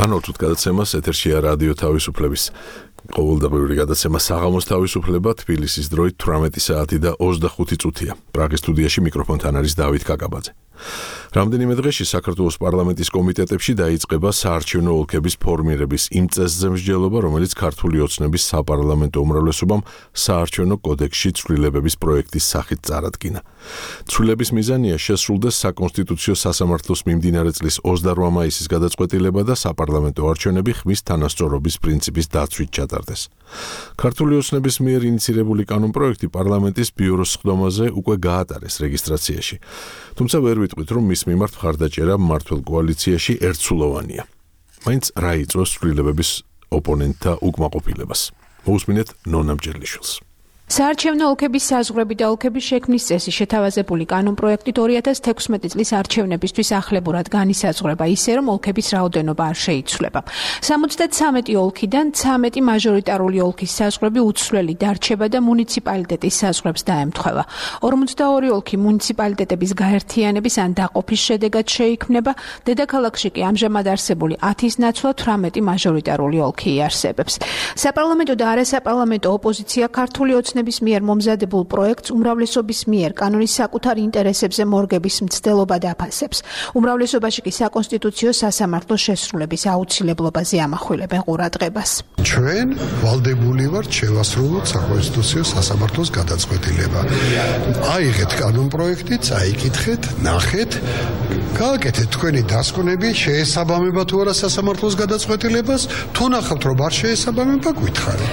განვთვლით გადაცემას ეთერშია რადიო თავისუფლების ყოველდღიური გადაცემა საღამოს თავისუფლება თბილისის დროით თვრამეტი საათი და ოცდახუთი წუთია. პრაღის სტუდიაში მიკროფონთან არის დავით კაკაბაძე. რამდენიმე დღეში საქართველოს პარლამენტის კომიტეტებში დაიწყება საარჩევნო ოლქების ფორმირების იმ წესზე მსჯელობა, რომელიც ქართული ოცნების საპარლამენტო უმრავლესობამ საარჩევნო კოდექსში ცვლილებების პროექტის სახით წარადგინა. ცვლილების მიზანია შესრულდეს საკონსტიტუციო სასამართლოს მიმდინარე წლის ოცდაოთხ მაისის გადაწყვეტილება და საპარლამენტო არჩევნები ხმის თანასწორობის პრინციპის დაცვით ჩატარდეს. ქართული ოცნების მიერ ინიცირებული კანონპროექტი პარლამენტის ბიუროს სხდომაზე უკვე გაატარეს რეგისტრაციაში. თუმცა ვერ ვიტყვით, რომ მის მიმართ მხარდაჭერა მმართველ კოალიციაში ერთსულოვანია. მაინც რა იწვევს ცვლილებების ოპონენტთა უკმაყოფილებას. მოусმინეთ ნონა მჯერლიშვილს. საარჩევნო ოლქების საზღვრები და ოლქების შექმნის წესი შეთავაზებული კანონპროექტით ორი ათას თექვსმეტი წლის არჩევნებისთვის ახლებურად განისაზღვრება ისე, რომ ოლქების რაოდენობა არ შეიცვლება. სამოცდათრამეტი ოლქიდან ცამეტი მაჟორიტარული ოლქის საზღვრები უცვლელი დარჩება და მუნიციპალიტეტის საზღვრებს დაემთხვევა. ორმოცდაორი ოლქი მუნიციპალიტეტების გაერთიანების ან დაყოფის შედეგად შეიქმნება, დედაქალაქში კი ამჟამად არსებული ათის ნაცვლად თვრამეტი მაჟორიტარული ოლქი იარსებებს. საპარლამენტო და არასაპარლამენტო ოპოზიცია ქართული ოცნების მიერ მომზადებულ პროექტს უმრავლესობის მიერ კანონის საკუთარ ინტერესებზე მორგების მცდელობად აფასებს. უმრავლესობაში კი საკონსტიტუციო სასამართლოს შესრულების აუცილებლობაზე ამახვილებენ ყურადღებას. ჩვენ ვალდებული ვართ შევასრულოთ საკონსტიტუციო სასამართლოს გადაწყვეტილება. აიღეთ კანონპროექტი, წაიკითხეთ, ნახეთ, გააკეთეთ თქვენი დასკვნები, შეესაბამება თუ არა სასამართლოს გადაწყვეტილებას, თუ ნახავთ რომ არ შეესაბამება, გითხარით.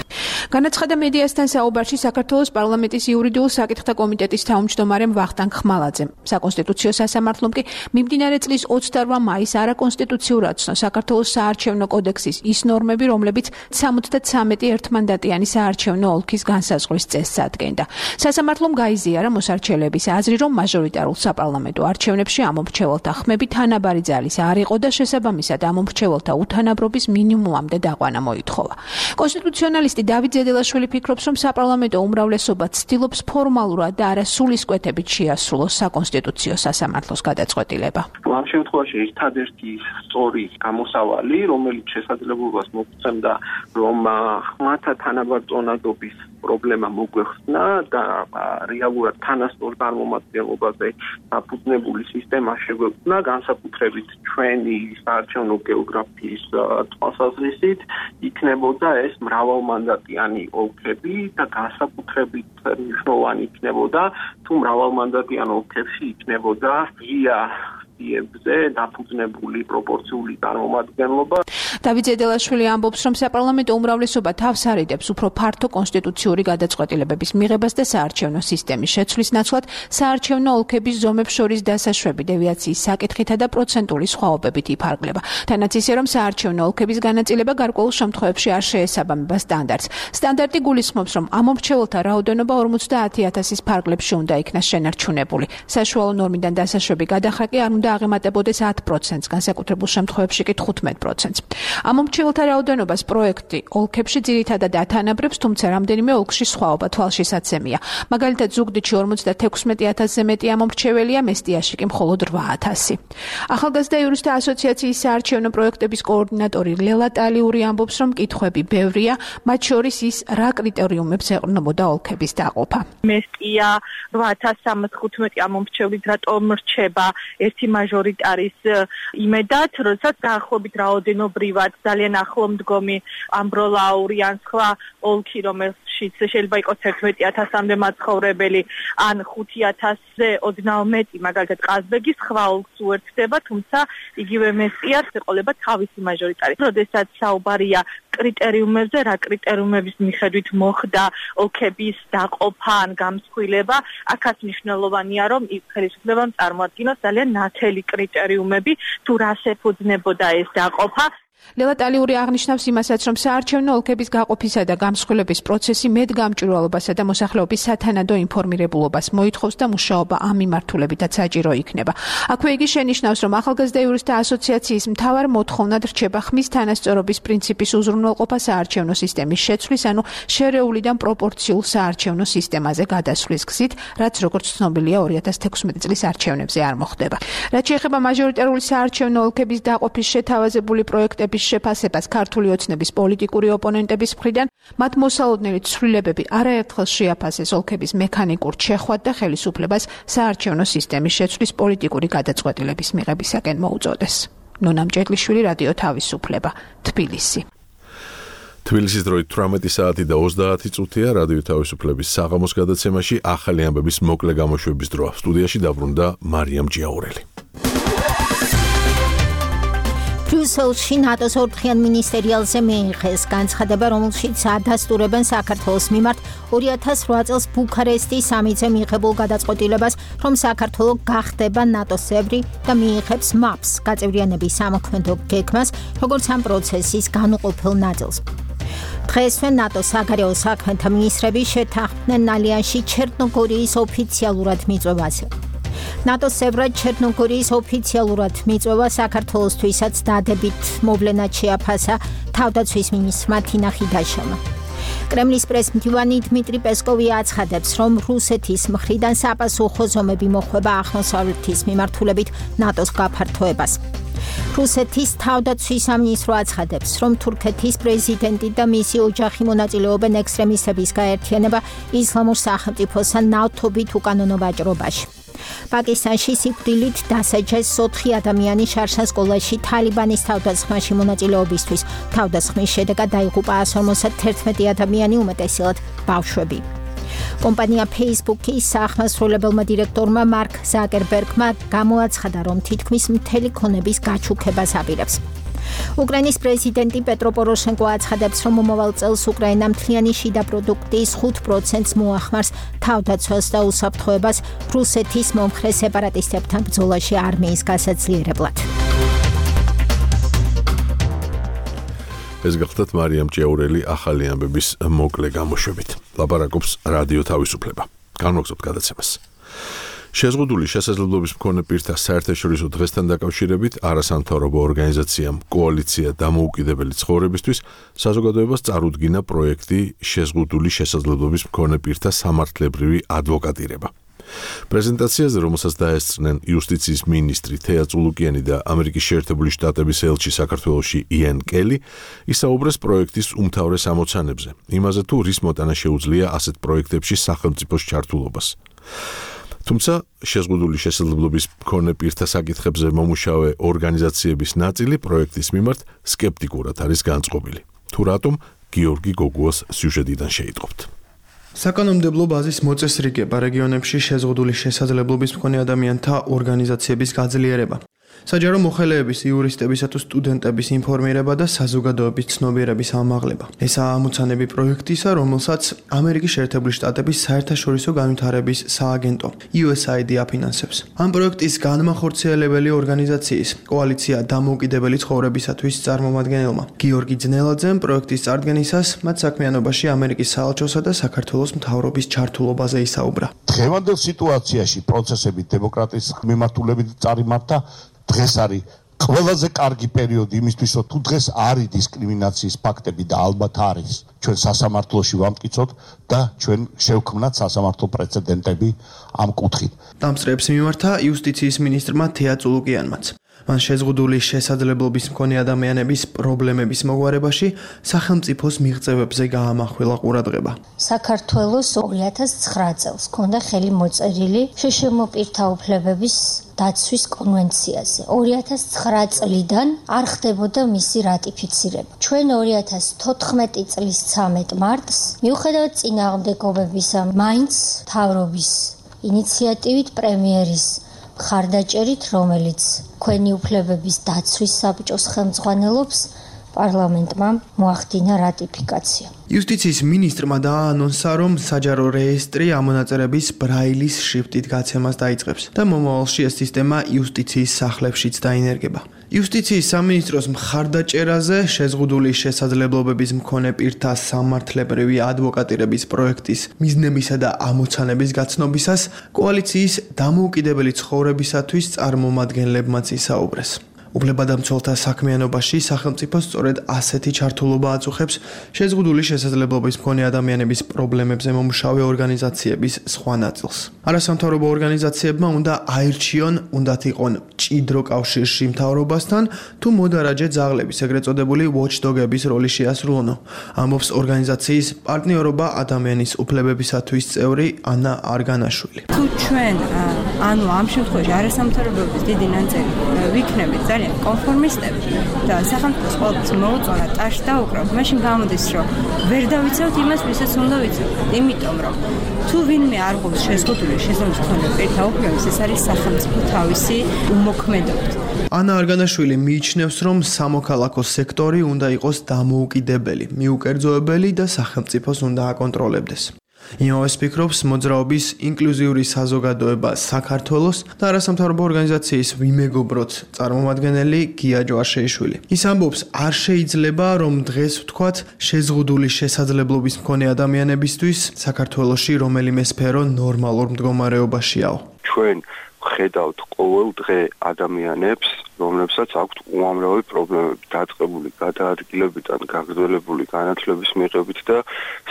განაცხადა მედიასთან საუბარში საქართველოს პარლამენტის იურიდიულ საკითხთა კომიტეტის თავმჯდომარემ ვახტანგ ხმალაძემ. საკონსტიტუციო სასამართლომ კი მიმდინარე წლის ოცდაოთხ მაისს არაკონსტიტუციურად ცნო საქართველოს საარჩევნო კოდექსის ის ნორმები, რომლებიც სამოცდათრამეტი ერთმანდატიანი საარჩევნო ოლქის განსაზღვრის წესს ადგენდა. სასამართლომ გაიზიარა მოსარჩელების აზრი, რომ მაჟორიტარულ საპარლამენტო არჩევნებში ამომრჩეველთა ხმები თანაბარი ძალის არ იყო და შესაბამისად ამომრჩეველთა უთანაბრობის მინიმუმამდე დაყვანა მოითხოვა. კონსტიტუციონალისტი დავით ზედელაშვილი ფიქრობს, რომ საპარლამენტო უმრავლესობა ცდილობს ფორმალურად და არა სულისკვეთებით შეასრულოს საკონსტიტუციო სასამართლოს გადაწყვეტილება. ამ შემთხვევაში ერთადერთი სწორი გამოსავალი, რომელიც შესაძლებლობას მოგცემდა, რომ ხმათა თანაბარწონადობის პრობლემა მოგვეხსნა და რეალურად თანასწორ წარმომადგენლობაზე დაფუძნებული სისტემა შეგვექმნა, განსაკუთრებით ჩვენი საარჩევნო გეოგრაფიის თვალსაზრისით, იქნებოდა ეს მრავალმანდატიანი ოლქები და განსაკუთრებით მნიშვნელოვანი იქნებოდა, თუ მრავალმანდატიან ოლქებში იქნებოდა ღია ზე დაფუძნებული პროპორციული წარმომადგენლობა. დავით ზედელაშვილი ამბობს, რომ საპარლამენტო უმრავლესობა თავს არიდებს უფრო ფართო კონსტიტუციური გადაწყვეტილებების მიღებას და საარჩევნო სისტემის შეცვლის ნაცვლად საარჩევნო ოლქების ზომებს შორის დასაშვები დევიაციის საკითხითა და პროცენტული სხვაობებით იფარგლება. თანაც ისე, რომ საარჩევნო ოლქების განაწილება გარკვეულ შემთხვევებში არ შეესაბამება სტანდარტს. სტანდარტი გულისხმობს, რომ ამომრჩეველთა რაოდენობა ორმოცდაათი ათასის ფარგლებში უნდა იქნას შენარჩუნებული. საშუალო ნორმიდან დასაშვები გადახრა კი არ უნდა აღემატებოდეს ათ პროცენტს, განსაკუთრებულ შემთხვევებში კი თხუთმეტ პროცენტს. ამომრჩეველთა რაოდენობას პროექტი ოლქებში ძირითადად ათანაბრებს, თუმცა რამდენიმე ოლქში სხვაობა თვალშისაცემია. მაგალითად, ზუგდიდში ორმოცდათექვსმეტი ათასზე მეტი ამომრჩეველია, მესტიაში კი მხოლოდ რვა ათასი. ახალგაზრდა იურისტთა ასოციაციის საარჩევნო პროექტების კოორდინატორი ლელა ტალიური ამბობს, რომ კითხვები ბევრია, მათ შორის ის, რა კრიტერიუმებს ეყრდნობოდა ოლქების დაყოფა. მესტია რვა ათას სამას თხუთმეტი ამომრჩევლით რატომ რჩება ერთი მაჟორიტარის იმედად, როდესაც დაახლოებით რაოდენობრივად ძალიან ახლომდგომი ამბროლაური ან სხვა ოლქი, რომელშიც შეიძლება იყოს ერთმეტი ათასამდე მაცხოვრებელი, ან ხუთი ათასზე ოდნავ მეტი, მაგალითად ყაზბეგის სხვა ოლქს უერთდება, თუმცა იგივე მესტიას ეყოლება თავისი მაჟორიტარი. როდესაც საუბარია კრიტერიუმებზე, რა კრიტერიუმების მიხედვით მოხდა ოლქების დაყოფა ან გამსხვილება, აქაც მნიშვნელოვანია, რომ ხელისუფლებამ წარმოადგინოს ძალიან ნათელი კრიტერიუმები, თუ რას ეფუძნებოდა ეს დაყოფა. ლელა ტალიური აღნიშნავს იმასაც, რომ საარჩევნო ოლქების გაყოფისა და გამსხვილების პროცესი მეტგამჭვირვალობასა და მოსახლეობის სათანადო ინფორმირებულობას მოითხოვს და მუშაობა ამ მიმართულებითაც საჭირო იქნება. აქვე იგი შენიშნავს, რომ ახალგაზრდა იურისტთა ასოციაციის მთავარ მოთხოვნად რჩება ხმის თანასწორობის პრინციპის უზრუნველყოფა საარჩევნო სისტემის შეცვლის, ანუ შერეულიდან პროპორციულ საარჩევნო სისტემაზე გადასვლის გზით, რაც როგორც ცნობილია ორი ათას თექვსმეტი წლის არჩევნებზე არ მოხდება. რაც შეეხება მაჟორიტარული საარჩევნო ოლქების დაყოფის შეთავაზებული პროექტების ცვლილებების შეფასებას ქართული ოცნების პოლიტიკური ოპონენტების მხრიდან, მათ მოსალოდნელი ცვლილებები არაერთხელ შეაფასეს ოლქების მექანიკურ ჩეხვად და ხელისუფლებას საარჩევნო სისტემის შეცვლის პოლიტიკური გადაწყვეტილების მიღებისაკენ მოუწოდეს. ნონა მჭედლიშვილი, რადიო თავისუფლება, თბილისი. თბილისის დროით თვრამეტი საათი და ოცდაათი წუთია რადიო თავისუფლების საღამოს გადაცემაში ახალი ამბების მოკლე გამოშვების დროა. სტუდიაში დაბრუნდა მარიამ ჯიაურელი. ბრიუსელში ნატოს ორდღიან მინისტერიალზე მიიღეს განცხადება, რომელშიც ადასტურებენ საქართველოს მიმართ ორი ათას რვა წელს ბუქარესტის სამიტზე მიღებულ გადაწყვეტილებას, რომ საქართველო გახდება ნატოს წევრი და მიიღებს მაპს, გაწევრიანების სამოქმედო გეგმას, როგორც ამ პროცესის განუყოფელ ნაწილს. დღესვე ნატოს საგარეო საქმეთა მინისტრები შეთანხმდნენ ალიანსში ჩერნოგორიის ოფიციალურად მიწვევაზე. ნატოს წევრად ჩერნოგორიის ოფიციალურად მიწვევა საქართველოსთვისაც დადებით მოვლენად შეაფასა თავდაცვის მინისტრმა თინა ხიდაშოვმა. კრემლის პრესმდივანი დმიტრი პესკოვი აცხადებს, რომ რუსეთის მხრიდან საპასუხო ზომები მოხვება აღმოსავლეთის მიმართულებით ნატოს გაფართოებას. რუსეთის თავდაცვის სამინისტრო აცხადებს, რომ თურქეთის პრეზიდენტი და მისი ოჯახი მონაწილეობენ ექსტრემისტების გაერთიანება ისლამურ სახელმწიფოსთან ნავთობით უკანონო ვაჭრობაში. პაკისტანში სიკვდილით დასაჯეს ოთხი ადამიანი შარშან სკოლაში თალიბანის თავდასხმაში მონაწილეობისთვის. თავდასხმის შედეგად დაიღუპა ასი ორმოცდაათი ადამიანი, უმეტესად ბავშვები. კომპანია Facebook-ის საახმასრულებელმა დირექტორმა მარკ ზაკერბერგმა გამოაცხადა, რომ თითქმის მთელი ქონების გაჩუქებას აპირებს. უკრაინის პრეზიდენტი პეტრო პოროშენკო აცხადებს, რომ მომავალ წელს უკრაინა მთლიანი შიდა პროდუქტის ხუთ პროცენტს მოახმარს თავდაცვას და უსაფრთხოებას რუსეთის მომხრე სეპარატისტებთან ბრძოლაში არმიის გასაძლიერებლად. ეს გახლდათ მარიამ ჯიაურელი ახალი ამბების მოკლე გამოშვებით. ლაპარაკობს რადიო თავისუფლება. განმოგზავნოთ გადაცემას. შეზღუდული შესაძლებლობის მქონე პირთა საერთაშორისო დღესთან დაკავშირებით არასამთავრობო ორგანიზაციამ კოალიცია დამოუკიდებელი ცხოვრებისთვის საზოგადოებას წარუდგინა პროექტი შეზღუდული შესაძლებლობის მქონე პირთა სამართლებრივი ადვოკატირება. პრეზენტაციაზე, რომელსაც დაესწრნენ იუსტიციის მინისტრი თეა წულუკიანი და ამერიკის შეერთებული შტატების ელჩი საქართველოში იან კელი, ისაუბრეს პროექტის უმთავრეს ამოცანებზე, იმაზე თუ რის მოტანა შეუძლია ასეთ პროექტებში სახელმწიფოს ჩართულობას. თუმცა შეზღუდული შესაძლებლობის მქონე პირთა საკითხებზე მომუშავე ორგანიზაციების ნაწილი პროექტის მიმართ სკეპტიკურად არის განწყობილი. თუ რატომ, გიორგი გოგუას სიუჟეტიდან შეიტყობთ. საკანონმდებლო ბაზის მოწესრიგება რეგიონებში შეზღუდული შესაძლებლობის მქონე ადამიანთა ორგანიზაციების გაძლიერება. საჯარო მოხელეების, იურისტებისა თუ სტუდენტების ინფორმირება და საზოგადოების ცნობიერების ამაღლება. ესაა ამოცანები პროექტისა, რომელსაც ამერიკის შეერთებული შტატების საერთაშორისო განვითარების სააგენტო იუ ეს აი დი აფინანსებს. ამ პროექტის განმახორციელებელი ორგანიზაციის კოალიცია დამოუკიდებელი ცხოვრებისათვის წარმომადგენელმა გიორგი ძნელაძემ პროექტის წარდგენისას მათ საქმიანობაში ამერიკის საელჩოსა და საქართველოს მთავრობის ჩართულობაზე ისაუბრა. დღევანდელ სიტუაციაში პროცესები დემოკრატიის მიმართულებით წარიმართა დღეს არის ყველაზე კარგი პერიოდი იმისთვის, რომ თუ დღეს არის დისკრიმინაციის ფაქტები და ალბათ არის, ჩვენ სასამართლოში ვამტკიცოთ და ჩვენ შევქმნათ სასამართლო პრეცედენტები ამ კუთხით. დამსწრეებს მიმართა იუსტიციის მინისტრმა თეა წულუკიანმაც. მან შეზღუდული შესაძლებლობის მქონე ადამიანების პრობლემების მოგვარებაში სახელმწიფოს მიღწევებზე გაამახვილა ყურადღება. საქართველოს ორი ათას ცხრა წელს ჰქონდა ხელი მოწერილი შშმ პირთა უფლებების დაცვის კონვენციაზე. ორი ათას ცხრა წლიდან არ ხდებოდა მისი რატიფიცირება. ჩვენ ორი ათას თოთხმეტი წლის ცამეტ მარტს მიუხედავად წინააღმდეგობებისა მაინც მთავრობის ინიციატივით პრემიერის ხარდაჭერით, რომელიც ქვენი უფლებების დაცვის საბჭოს ხელმძღვანელობს, პარლამენტმა მოახდინა რატიფიკაცია. იუსტიციის მინისტრმა დააანონსა, რომ საჯარო რეესტრი ამონაწერების ბრაილის შრიფტით გაცემას დაიწყებს და მომავალში ეს სისტემა იუსტიციის სახლებშიც დაინერგება. იუსტიციის სამინისტროს მხარდაჭერაზე შეზღუდული შესაძლებლობების მქონე პირთა სამართლებრივი ადვოკატირების პროექტის მიზნებისა და ამოცანების გაცნობისას კოალიციის დამოუკიდებელი ცხოვრებისათვის წარმომადგენლებმაც ისაუბრეს. უფლებადამცველთა საქმიანობაში სახელმწიფო სწორედ ასეთი ჩართულობა აწუხებს შეზღუდული შესაძლებლობის მქონე ადამიანების პრობლემებზე მომუშავე ორგანიზაციების სხვა ნაწილს. არასამთავრობო ორგანიზაციებმა უნდა აირჩიონ, უნდათ იყონ მჭიდრო კავშირში მთავრობასთან, თუ მოდარაჯე ძაღლების, ეგრეთ წოდებული watchdog-ების როლი შეასრულონ, ამბობს ორგანიზაციის პარტნიორობა ადამიანის უფლებებისათვის წევრი ანა არგანაშვილი. თუ ჩვენ ანუ ამ შემთხვევაში არასამთავრობოების დიდი ნაწილი ვიქნებით ძალიან კონფორმისტები და სახელმწიფოს ყოველთვის მოუწონა ტაშს დაუკრავთ, მაშინ გამოდის, რომ ვერ დავიცავთ იმას, ვისაც უნდა ვიცავთ. იმიტომ რომ თუ ვინმე არ ყოფს შეზღუდული შესაძლებლობის მქონე პირთა უფლებებს, ეს არის სახელმწიფო თავისი უმოქმედობით. ანა არგანაშვილი მიიჩნევს, რომ სამოქალაქო სექტორი უნდა იყოს დამოუკიდებელი, მიუკერძოებელი და სახელმწიფოს უნდა აკონტროლებდეს. იმავეს ფიქრობს მოძრაობის ინკლუზიური საზოგადოება საქართველოს და არასამთავრობო ორგანიზაციის ვიმეგობროთ წარმომადგენელი გია ჯვარშეიშვილი. ის ამბობს, არ შეიძლება რომ დღეს ვთქვათ შეზღუდული შესაძლებლობის მქონე ადამიანებისთვის საქართველოში რომელიმე სფერო ნორმალურ მდგომარეობაშიაო. ჩვენ ხედავთ ყოველ დღე ადამიანებს, რომლებსაც აქვთ უამრავი პრობლემები, დაწყებული გადაადგილებიდან გაგრძელებული განათლების მიღებით და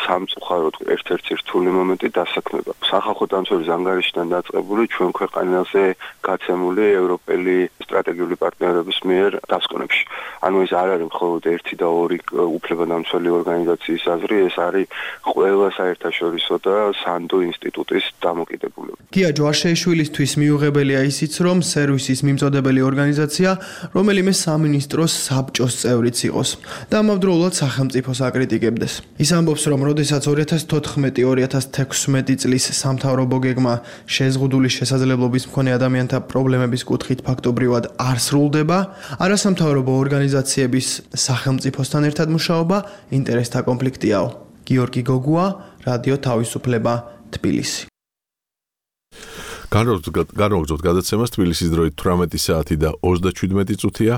სამწუხაროდ ერთ-ერთი რთული მომენტი დასაქმება. სახალხო დამცველის ანგარიშიდან დაწყებული ჩვენ ქვეყანაზე გაცემული ევროპელი სტრატეგიული პარტნიორების მიერ დასკვნებში. ანუ ეს არ არის მხოლოდ ერთი და ორი უფლებადამცველი ორგანიზაციის აზრი, ეს არის ყველა საერთაშორისო და სანდო ინსტიტუტის დამოკიდებულება. გია ჯვარშეიშვილისთვის მიუღებელია ისიც, რომ სერვისის მიმწოდებელი ორგანიზაცია რომელიმე სამინისტროს საბჭოს წევრიც იყოს და ამავდროულად სახელმწიფოს აკრიტიკებდეს. ის ამბობს, რომ როდესაც ორი ათას თოთხმეტი ორი ათას თექვსმეტი წლის სამთავრობო გეგმა შეზღუდული შესაძლებლობის მქონე ადამიანთა პრობლემების კუთხით ფაქტობრივად არ სრულდება, არასამთავრობო ორგანიზაციების სახელმწიფოსთან ერთად მუშაობა ინტერესთა კონფლიქტიაო. გიორგი გოგუა, რადიო თავისუფლება, თბილისი. განვაგრძობთ გადაცემას თბილისის დროით თვრამეტი საათი და ოცდაშვიდმეტი წუთია.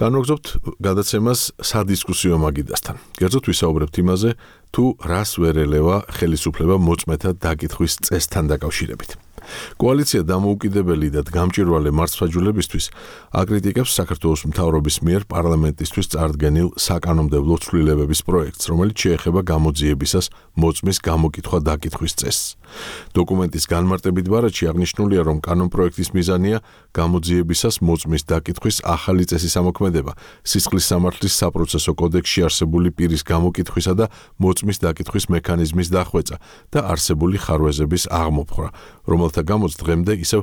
განვაგრძობთ გადაცემას სადისკუსიო მაგიდასთან. კერძოდ ვისაუბრებთ იმაზე, თუ რას ვერ ელევა ხელისუფლება მოწმეთა დაკითხვის წესთან დაკავშირებით. კოალიცია დამოუკიდებელი და გამჭვირვალე მართლმსაჯულებისთვის აკრიტიკებს საქართველოს მთავრობის მიერ პარლამენტისთვის წარდგენილ საკანონმდებლო ცვლილებების პროექტს, რომელიც შეეხება გამოძიებისას მოწმის გამოკითხვა დაკითხვის წესს. დოკუმენტის განმარტებით ბარათში აღნიშნულია, რომ კანონპროექტის მიზანია გამოძიებისას მოწმის დაკითხვის ახალი წესის ამოქმედება, სისხლის სამართლის საპროცესო კოდექსში არსებული პირის გამოკითხვისა და მოწმის დაკითხვის მექანიზმის დახვეწა და არსებული ხარვეზების აღმოფხვრა, რომელთა გამოც დღემდე ისევ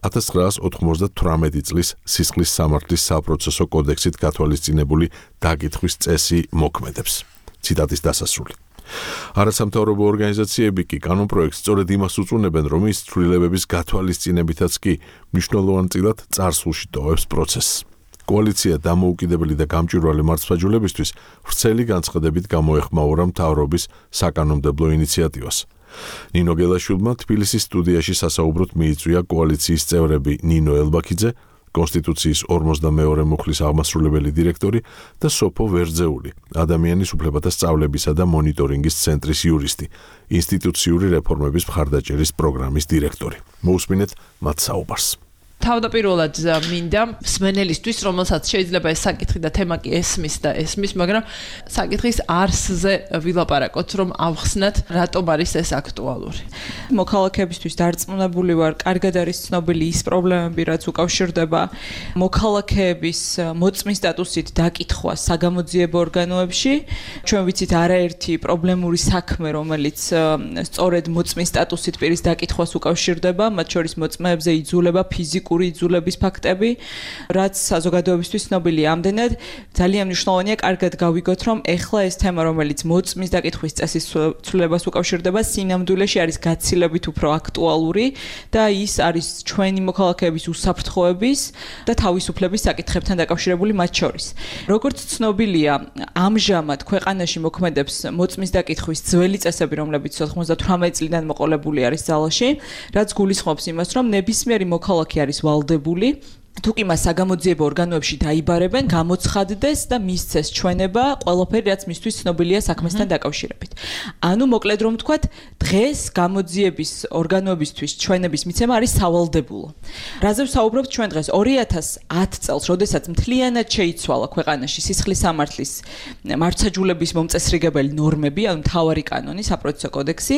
ათას ცხრაას ოთხმოცდათვრამეტი წლის სისხლის სამართლის საპროცესო კოდექსით გათვალისწინებული დაკითხვის წესი მოქმედებს. ციტატის დასასრული. არასამთავრობო ორგანიზაციები კი კანონპროექტს სწორედ იმას უწუნებენ, რომ ის ცვლილებების გათვალისწინებითაც კი მნიშვნელოვანწილად წარსულში ტოვებს პროცესს. კოალიცია დამოუკიდებელი და გამჭვირვალე მართლმსაჯულებისთვის ვრცელი განცხადებით გამოეხმაურა მთავრობის საკანონმდებლო ინიციატივას. ნინო გელაშვილმა თბილისის სტუდიაში სასაუბროდ მიიწვია კოალიციის წევრები ნინო ელბაქიძე, კონსტიტუციის ორმოცდამეორე მუხლის აღმასრულებელი დირექტორი და სოფო ვერძეული, ადამიანის უფლებათა სწავლებისა და მონიტორინგის ცენტრის იურისტი, ინსტიტუციური რეფორმების მხარდაჭერის პროგრამის დირექტორი. მოусმინეთ მათ საუბარს. თავდაპირველად მინდა მსმენელისთვის, რომელსაც შეიძლება ეს საკითხი და თემა კი ესმის და ესმის, მაგრამ საკითხის არსზე ვილაპარაკოთ, რომ ავხსნათ, რატომ არის ეს აქტუალური. მოქალაქეებისთვის დარწმუნებული ვარ, კარგად არის ცნობილი ის პრობლემები, რაც უკავშირდება მოქალაქეების მოწმის სტატუსით დაკითხვა საგამოძიებო ორგანოებში. ჩვენ ვიცით არაერთი პრობლემური საქმე, რომელიც სწორედ მოწმის სტატუსით პირის დაკითხვას უკავშირდება, მათ შორის მოწმეებზე იძულება ფიზიკური იძულების ფაქტები, რაც საზოგადოებისთვის ცნობილია. ამდენად ძალიან მნიშვნელოვანია კარგად გავიგოთ, რომ ეხლა ეს თემა, რომელიც მოწმის დაკითხვის წესის ცვლილებას უკავშირდება, სინამდვილეში არის გაცილებით უფრო აქტუალური და ის არის ჩვენი მოქალაქეების უსაფრთხოების და თავისუფლების საკითხებთან დაკავშირებული მათ შორის. როგორც ცნობილია, ამჟამად ქვეყანაში მოქმედებს მოწმის დაკითხვის ძველი წესები, რომლებიც ოცდათვრამეტი წლიდან მოყოლებული არის ძალაში, რაც გულისხმობს იმას, რომ ნებისმიერი მოქალაქე არის ვალდებული თუ კი მას საგამოძიებო ორგანოებში დაიბარებენ, გამოცხადდეს და მისცეს ჩვენება ყველაფერი, რაც მისთვის ცნობილია საქმესთან დაკავშირებით. ანუ მოკლედ რომ ვთქვათ, დღეს გამოძიების ორგანოებისთვის ჩვენების მიცემა არის სავალდებულო. რაზე ვსაუბრობთ ჩვენ დღეს? ორი ათას ათ წელს, როდესაც მთლიანად შეიცვალა ქვეყანაში სისხლის სამართლის მართლმსაჯულების მომწესრიგებელი ნორმები, ანუ მთავარი კანონი, საპროცესო კოდექსი,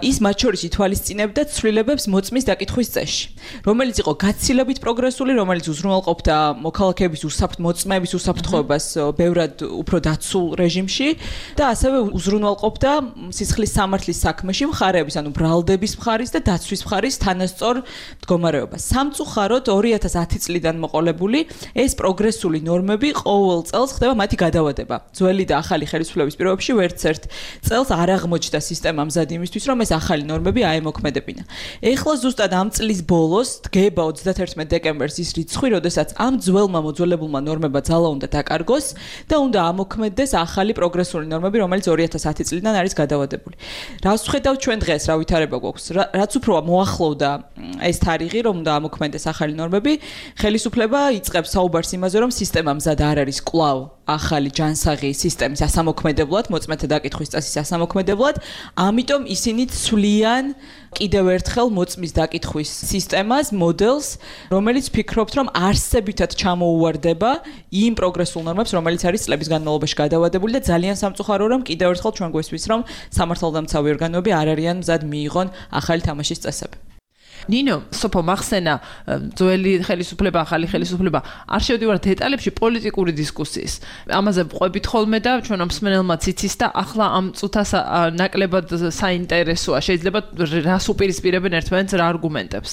ის მათ შორის ითვალისწინებდა ცვლილებებს მოწმის დაკითხვის წესში, რომელიც იყო გაცილებით პროგრესული, რომელიც უზრუნველყოფდა მოქალაქეების უსაფრთხო მოწმეების უსაფრთხოებას ბევრად უფრო დაცულ რეჟიმში და ასევე უზრუნველყოფდა სისხლის სამართლის საქმეში მხარეების, ანუ ბრალდების მხარის და დაცვის მხარის თანასწორ მდგომარეობას. სამწუხაროდ ორი ათას ათი წლიდან მოყოლებული ეს პროგრესული ნორმები ყოველ წელს ხდება მათი გადავადება. ძველი და ახალი ხელისუფლების პირობებში ვერც ერთ წელს არ აღმოჩნდა სისტემა მზად იმისთვის, რომ ეს ახალი ნორმები აემოქმედებინა. ეხლა ზუსტად ამ წლის ბოლოს დგება ოცდათერთმეტ დეკემბერს ის რიცხვი, როდესაც ამ ძველმა მოძველებულმა ნორმებმა ძალა უნდა დაკარგოს და უნდა ამოქმედდეს ახალი პროგრესული ნორმები, რომელიც ორი ათას ათი წლიდან არის გადავადებული. რას ვხედავთ ჩვენ დღეს, რა ვითარება გვაქვს? რაც უფრო მოახლოვდა ეს თარიღი, რომ უნდა ამოქმედდეს ახალი ნორმები, ხელისუფლება იწყებს საუბარს იმაზე, რომ სისტემა მზად არ არის კვლავ ახალი ჯანსაღი სისტემის ასამოქმედებლად, მოწმეთა დაკითხვის წესის ასამოქმედებლად, ამიტომ ისინი ცვლიან კიდევ ერთხელ მოწმის დაკითხვის სისტემას, მოდელს, რომელიც ფიქრობთ, რომ არსებითად ჩამოუვარდება იმ პროგრესულ ნორმებს, რომელიც არის წლების განმავლობაში გადავადებული და ძალიან სამწუხაროა, რომ კიდევ ერთხელ ჩვენ გვესმის, რომ სამართალდამცავი ორგანოები არ არიან მზად მიიღონ ახალი თამაშის წესები. ნინო, სოფო მახსენა, ძველი ხელისუფლება, ახალი ხელისუფლება, არ შევდივარ დეტალებში პოლიტიკური დისკუსიის. ამაზე ვყვებით ხოლმე და ჩვენ მსმენელმაც იცის და ახლა ამ წუთას ნაკლებად საინტერესოა. შეიძლება რას უპირისპირებენ ერთმანეთს, რა არგუმენტებს.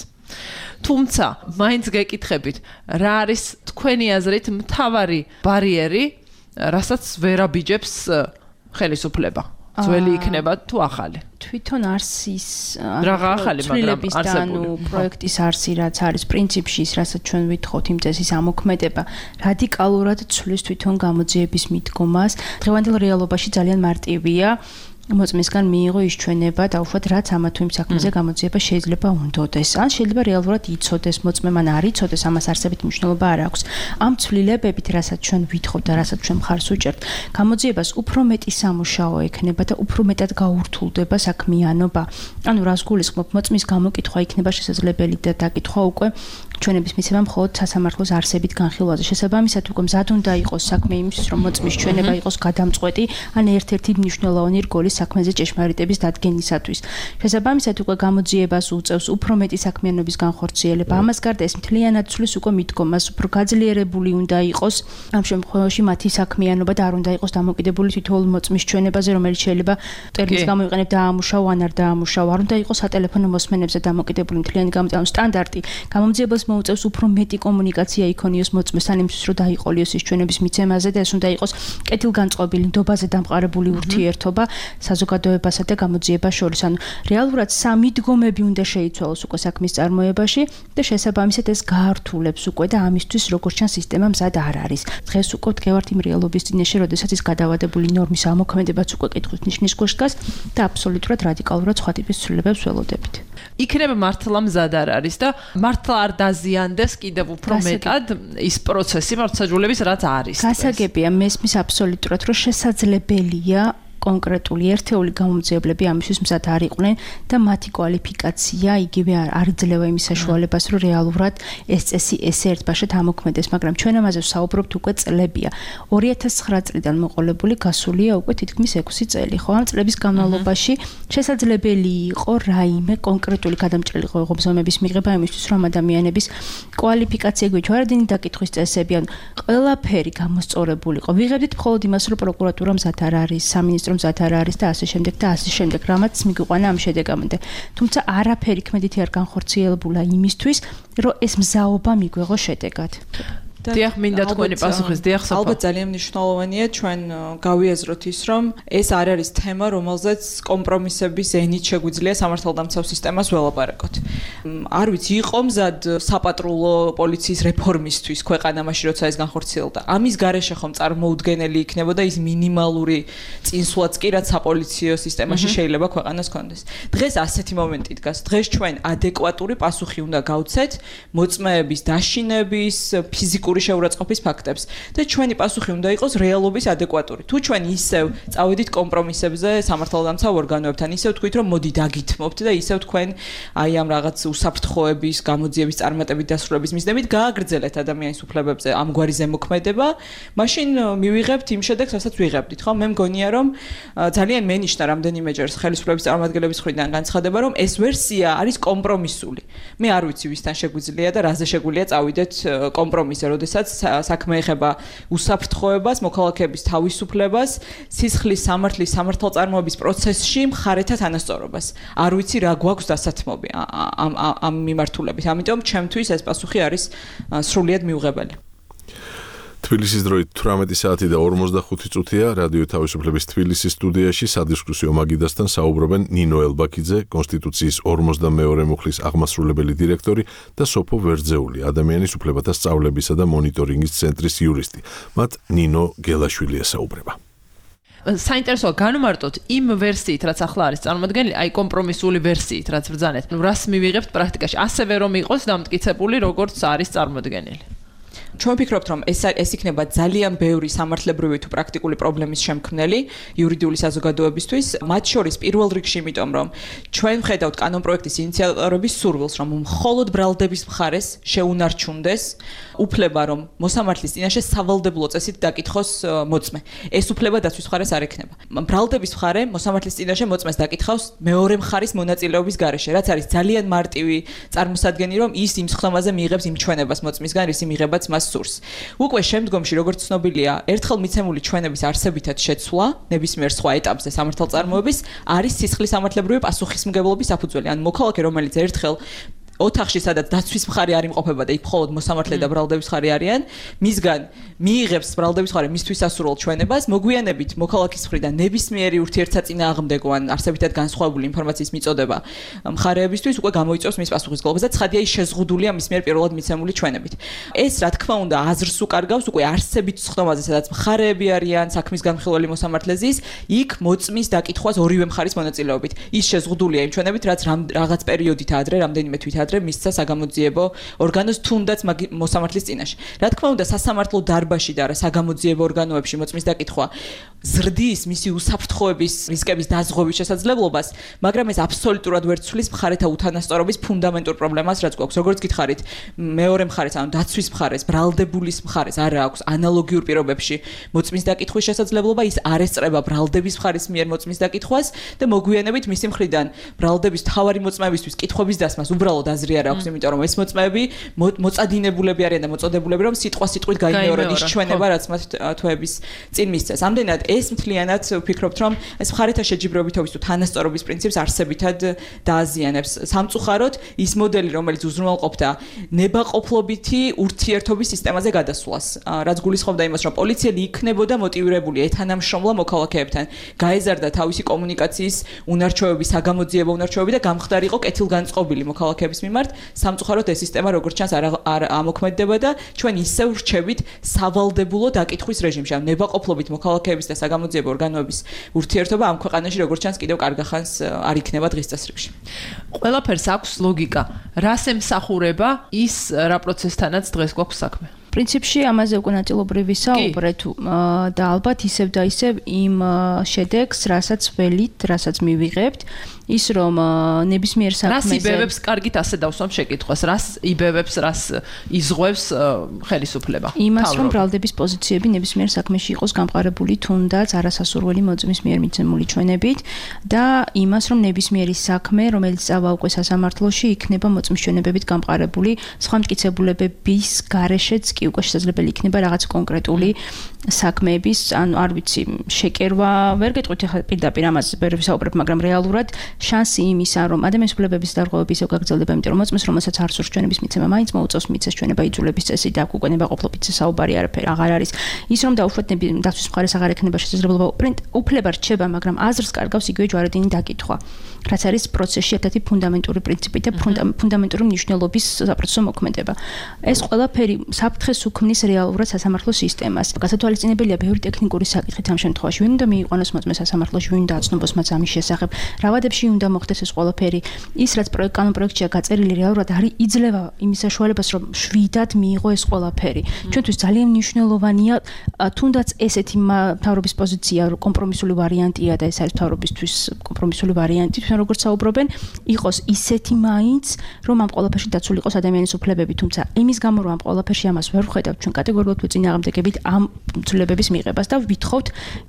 თუმცა, მაინც გეკითხებით, რა არის თქვენი აზრით მთავარი ბარიერი, რასაც ვერ აბიჯებს ხელისუფლება? ძველი იქნება თუ ახალი? თვითონ არსის რაღა ახალი, მაგრამ არსებული პროექტის არსი, რაც არის პრინციპში ის, რასაც ჩვენ ვითხოვთ იმ წესის ამოქმედება, რადიკალურად ცვლის თვითონ გამოძიების მიდგომას. დღევანდელ რეალობაში ძალიან მარტივია მოწმისგან მიიღო ის ჩვენება და უშუალოდ რაც ამა თუ იმ საქმეზე გამოძიება შეიძლება უნდოდეს. ან შეიძლება რეალურად იცოდეს მოწმემ, ან არ იცოდეს, ამას არსებით მნიშვნელობა არ აქვს. ამ ცვლილებებით, რასაც ჩვენ ვითხოვთ და რასაც ჩვენ მხარს უჭერთ, გამოძიებას უფრო მეტი სამუშაო ექნება და უფრო მეტად გაურთულდება საქმიანობა. ანუ რას გულისხმობ, მოწმის გამოკითხვა იქნება შესაძლებელი და დაკითხვა უკვე ჩვენების მიცემა მხოლოდ სასამართლოს არსებით განხილვაზე. შესაბამისად, უკვე მზად უნდა იყოს საქმე იმისთვის, რომ მოწმის ჩვენება იყოს გადამწყვეტი, ან ერთ-ერთი მნიშვნელოვანი რგოლის საქმეზე ჭეშმარიტების დადგენისათვის. შესაბამისად, უკვე გამოძიებას უწევს უფრო მეტი საქმიანობის განხორციელება. ამას გარდა ეს მთლიანად ცვლის უკვე მიდგომას, უფრო გაძლიერებული უნდა იყოს ამ შემთხვევაში მათი საქმიანობა და არ უნდა იყოს დამოკიდებული თითოეულ მოწმის ჩვენებაზე, რომელიც შეიძლება ტერმინს გამოიყენებ დაამუშავო ან არ დაამუშავო. არ უნდა იყოს სატელეფონო მოსმენებზე დამოკიდებული მთლიანი გამოძიების სტანდარტი. გამოძიებას მოუწევს უფრო მეტი კომუნიკაცია იქონიოს მოწმესთან იმისთვის, რომ დაიყოლიოს ის ჩვენების მიცემაზე და ეს უნდა იყოს კეთილგანწყობილი, ნდობაზე დამყარებული ურთიერთობა საზოგადოებასა და გამოძიებას შორის. ანუ რეალურად სამი დგომები უნდა შეიცვალოს უკვე საქმის წარმოებაში და შესაბამისად ეს გაართულებს უკვე და ამისთვის როგორც ჩანს სისტემა მზად არ არის. დღეს უკვე ვდგევართ იმ რეალობის წინაშე, როდესაც ის გადავადებული ნორმის ამოქმედებაც უკვე კითხვის ნიშნის ქვეშ დგას და აბსოლუტურად რადიკალურად სხვა ტიპის ცვლილებებს ველოდებით. იქნება მართლა მზად არ არის და მართლა არ დაზიანდეს კიდევ უფრო მეტად ის პროცესი მართლმსაჯულების, რაც არის. გასაგებია, მესმის აბსოლუტურად, რომ შესაძლებელია კონკრეტული ერთეული გამომძიებლები ამისთვის მზად არ იყვნენ და მათი კვალიფიკაცია იგივე არ იძლევა იმის საშუალებას, რომ რეალურად ეს წესი ესე ერთბაშად ამოქმედეს, მაგრამ ჩვენ ამაზე ვსაუბრობთ უკვე წლებია. ორი ათას ცხრა წლიდან მოყოლებული გასულია უკვე თითქმის ექვსი წელი. ხო, ამ წლების განმავლობაში შესაძლებელი იყო რაიმე კონკრეტული გადამჭრელი ღონისძიებების მიღება იმისთვის, რომ ადამიანების კვალიფიკაცია გვიჩვენებინა დაკითხვის წესები, ან ყველაფერი გამოსწორებული იყო. ვიღებდით მხოლოდ იმას, რომ პროკურატურა მზად არ არის, სამინისტრო მზად არ არის და ასე შემდეგ და ასე შემდეგ, რამაც მიგვიყვანა ამ შედეგამდე. თუმცა არაფერი ქმედითი არ განხორციელებულა იმისთვის, რომ ეს მზაობა მიგვეღო შედეგად. დიახ, მინდა თქვენი პასუხის, დიახ, საფა. ალბათ ძალიან მნიშვნელოვანია ჩვენ გავიაზროთ ის, რომ ეს არ არის თემა, რომელზეც კომპრომისების ენით შეგვიძლია სამართალდამცავ სისტემას ველაპარაკოთ. არ ვიცი, იყო მზად საპატრულო პოლიციის რეფორმისთვის ქვეყანა მაშინ როცა ეს განხორციელდა. ამის გარეშე ხომ წარმოუდგენელი იქნებოდა ის მინიმალური წინსვლაც კი რაც საპოლიციო სისტემაში შეიძლება ქვეყანას კონდეს. დღეს ასეთი მომენტი დგას. დღეს ჩვენ ადეკვატური პასუხი უნდა გავცეთ მოწმეების, დაშინების, ფიზიკური შეურაცხყოფის ფაქტებს და ჩვენი პასუხი უნდა იყოს რეალობის ადეკვატური. თუ ჩვენ ისევ წავედით კომპრომისებზე სამართალდამცავ ორგანოებთან, ისევ თქვით რომ მოდი დაგითმობთ და ისევ თქვენ აი ამ რაღაც უსაფრთხოების, გამოძიების წარმატებით დასრულების მიზნებით გააგრძელეთ ადამიანის უფლებებზე ამგვარი ზემოქმედება, მაშინ მივიღებთ იმ შედეგს, რასაც ვიღებდით, ხო? მე მგონია რომ ძალიან მენიშნა რამდენიმეჯერ ხელისუფლების წარმომადგენლების მხრიდან განცხადება, რომ ეს ვერსია არის კომპრომისული. მე არ ვიცი ვისთან შეგვიძლია და რაზე შეგვიძლია წავიდეთ კომპრომისზე, როდესაც საქმე ეხება უსაფრთხოებას, მოქალაქეების თავისუფლებას, სისხლის სამართლის სამართალწარმოების პროცესში მხარეთა თანასწორობას. არ ვიცი რა გვაქვს დასათმობი ამ ამ მიმართულებით. ამიტომ ჩემთვის ეს პასუხი არის სრულიად მიუღებელი. თბილისის დროით თვრამეტი საათი და ორმოცდახუთი წუთია რადიო თავისუფლების თბილისის სტუდიაში სადისკუსიო მაგიდასთან საუბრობენ ნინო ელბაქიძე, კონსტიტუციის ორმოცდამეორე მუხლის აღმასრულებელი დირექტორი და სოფო ვერძეული, ადამიანის უფლებათა სწავლებისა და მონიტორინგის ცენტრის იურისტი. მათ ნინო გელაშვილი ესაუბრება. საინტერესოა განმარტოთ იმ ვერსიით, რაც ახლა არის წარმოადგენილი, აი კომპრომისული ვერსიით, რაც ბრძანეთ. რას მივიღებთ პრაქტიკაში, ასევე რომ იყოს დამტკიცებული, როგორც არის წარმოდგენილი. ჩვენ ვფიქრობთ, რომ ეს ეს იქნება ძალიან ბევრი სამართლებრივი თუ პრაქტიკული პრობლემის შემქმნელი იურიდიული საზოგადოებისთვის, მათ შორის პირველ რიგში, იმიტომ რომ ჩვენ ვხედავთ კანონპროექტის ინიციატორების სურვილს, რომ მხოლოდ ბრალდების მხარეს შეუნარჩუნდეს უფლება, რომ მოსამართლის წინაშე სავალდებულო წესით დაკითხოს მოწმე. ეს უფლება დაცვის მხარეს არ ექნება. ბრალდების მხარე მოსამართლის წინაშე მოწმეს დაკითხავს მეორე მხარის მონაწილეობის გარეშე, რაც არის ძალიან მარტივი წარმოსადგენი, რომ ის იმ სხდომაზე მიიღებს იმ ჩვენებას მოწმისგან, რის იმიღებაც მას სურს. უკვე შემდგომში, როგორც ცნობილია, ერთხელ მიცემული ჩვენების არსებითად შეცვლა ნებისმიერ სხვა ეტაპზე სამართალწარმოების არის სისხლის სამართლებრივი პასუხისმგებლობის საფუძველი. ან მოქალაქე, რომელიც ერთხელ ოთახში, სადაც დაცვის მხარე არ იმყოფება და იქ მხოლოდ მოსამართლე და ბრალდების მხარე არიან, მისგან მიიღებს ბრალდების მხარე მისთვის ასურველ ჩვენებას, მოგვიანებით მოქალაქის მხრიდან ნებისმიერი ურთიერთსაწინააღმდეგო ან არსებითად განსხვავებული ინფორმაციის მიწოდება მხარეებისთვის უკვე გამოიწვევს მის პასუხისმგებლობას და ცხადია ის შეზღუდულია მის მიერ პირველად მიცემული ჩვენებით. ეს რა თქმა უნდა აზრს უკარგავს უკვე არსებით სხდომაზე, სადაც მხარეები არიან, საქმის განხილველი მოსამართლე ზის, იქ მოწმის დაკითხვას ორივე მხარის მონაწილეობით. ის შეზღუდულია იმ ჩვენებით, რაც რაღაც პერიოდით ადრე, რამდენიმე თვით ადრე მისცა საგამოძიებო ორგანოს თუნდაც მოსამართლის წინაშე. რა თქმა უნდა, სასამართლო დარბაზში და რა საგამოძიებო ორგანოებში მოწმის დაკითხვა ზრდის მისი უსაფრთხოების რისკების დაზღვევის შესაძლებლობას, მაგრამ ეს აბსოლუტურად ვერ ცვლის მხარეთა უთანასწორობის ფუნდამენტურ პრობლემას, რაც გვაქვს. როგორც გითხარით, მეორე მხარეს, ანუ დაცვის მხარეს, ბრალდებულის მხარეს არ აქვს ანალოგიურ პირობებში მოწმის დაკითხვის შესაძლებლობა, ის არ ესწრება ბრალდების მხარის მიერ მოწმის დაკითხვას და მოგვიანებით მისი მხრიდან ბრალდების თავარი მოწმეებისთვის კითხვების დასმას უბრალოდ აზრი არ აქვს, იმიტომ რომ ეს მოწმეები მოწადინებულები არიან და მოწოდებულები, რომ სიტყვა სიტყვით გაიმეორონ ის ჩვენება, რაც მათ თვეების წინ მისცეს. ამდენად ეს მთლიანად ვფიქრობთ, რომ ეს მხარეთა შეჯიბრებითობის თუ თანასწორობის პრინციპს არსებითად დააზიანებს. სამწუხაროდ, ის მოდელი, რომელიც უზრუნველყოფდა ნებაყოფლობითი ურთიერთობის სისტემაზე გადასვლას, რაც გულისხმობდა იმას, რომ პოლიციელი იქნებოდა მოტივირებული ეთანამშრომლა მოქალაქეებთან, გაეზარდა თავისი კომუნიკაციის უნარჩვევები, საგამოძიებო უნარჩვევები და გამხდარიყო კეთილგანწყობილი მოქალაქეების მიმართ. სამწუხაროდ ეს სისტემა როგორც ჩანს არ ამოქმედდება და ჩვენ ისევ ვრჩებით სავალდებულო დაკითხვის რეჟიმში. ამ ნებაყოფლობით მოქალაქეების და საგამოძიებო ორგანოების ურთიერთობა ამ ქვეყანაში როგორც ჩანს კიდევ კარგახანს არ იქნება დღის წესრიგში. ყველაფერს აქვს ლოგიკა. რას ემსახურება ის რა პროცესთანაც დღეს გვაქვს საქმე? პრინციპში ამაზე უკვე ნაწილობრივ ვისაუბრეთ და ალბათ ისევ და ისევ იმ შედეგს, რასაც ველით, რასაც მივიღებთ, ის რომ ნებისმიერ საქმეზე რას იბევებს, კარგით ასე დავსვამ შეკითხვას, რას იბევებს, რას იზღვევს ხელისუფლება? იმას, რომ ბრალდების პოზიციები ნებისმიერ საქმეში იყოს გამყარებული თუნდაც არასასურველი მოწმის მიერ მიცემული ჩვენებით და იმას, რომ ნებისმიერი საქმე, რომელიც წავა უკვე სასამართლოში, იქნება მოწმის ჩვენებებით გამყარებული სხვა მტკიცებულებების გარეშეც კი უკვე შესაძლებელი იქნება რაღაც კონკრეტული საქმეების, ანუ არ ვიცი, შეკერვა, ვერ გეტყვით ახლა პირდაპირ ამაზე ვერ ვისაუბრებ, მაგრამ რეალურად შანსი იმისა, რომ ადამიანის უფლებების დარღვევები ისევ გაგრძელდება, იმიტომ რომ მოწმეს, რომელსაც არ სურს ჩვენების მიცემა, მაინც მოუწევს მიცეს ჩვენება იძულების წესი და აქ უკვე ნებაყოფლობით საუბარი არაფერი აღარ არის. ის რომ დაუშვათ დაცვის მხარეს აღარ ექნება შესაძლებლობა უფლება რჩება, მაგრამ აზრს კარგავს იგივე ჯვარედინი დაკითხვა, რაც არის პროცესში ერთ-ერთი ფუნდამენტური პრინციპი და ფუნდამენტური მნიშვნელობის საპროცესო მოქმედება. ეს ყველაფერი საფრთხეს უქმნის რეალურად სასამართლო სისტემას. გასათვალისწინებელია ბევრი ტექნიკური საკითხით ამ შემთხვევაში. ვინ უნდა მიიყვანოს მოწმე სასამართლოში, ვინ უნდა აცნობს მას ამის შესახებ. რა ვადებში უნდა მოხდეს ეს ყველაფერი. ის რაც კანონ პროექტშია გაწერილი რეალურად არის იძლევა იმის საშუალებას, რომ შვიდად მიიღო ეს ყველაფერი. ჩვენთვის ძალიან მნიშვნელოვანია თუნდაც ესეთი მთავრობის პოზიცია, კომპრომისული ვარიანტია და ეს არის მთავრობისთვის კომპრომისული ვარიანტი, თქვენ როგორც საუბრობენ, იყოს ისეთი მაინც, რომ ამ ყველაფერში დაცული იყოს ადამიანის უფლებები, თუმცა იმის გამო რომ ამ ყველაფერში ამას ვერ ვხედავთ, ჩვენ კატეგორიულად ვწინააღმდეგებით ამ ცვლილებების მიღებას და ვითხოვთ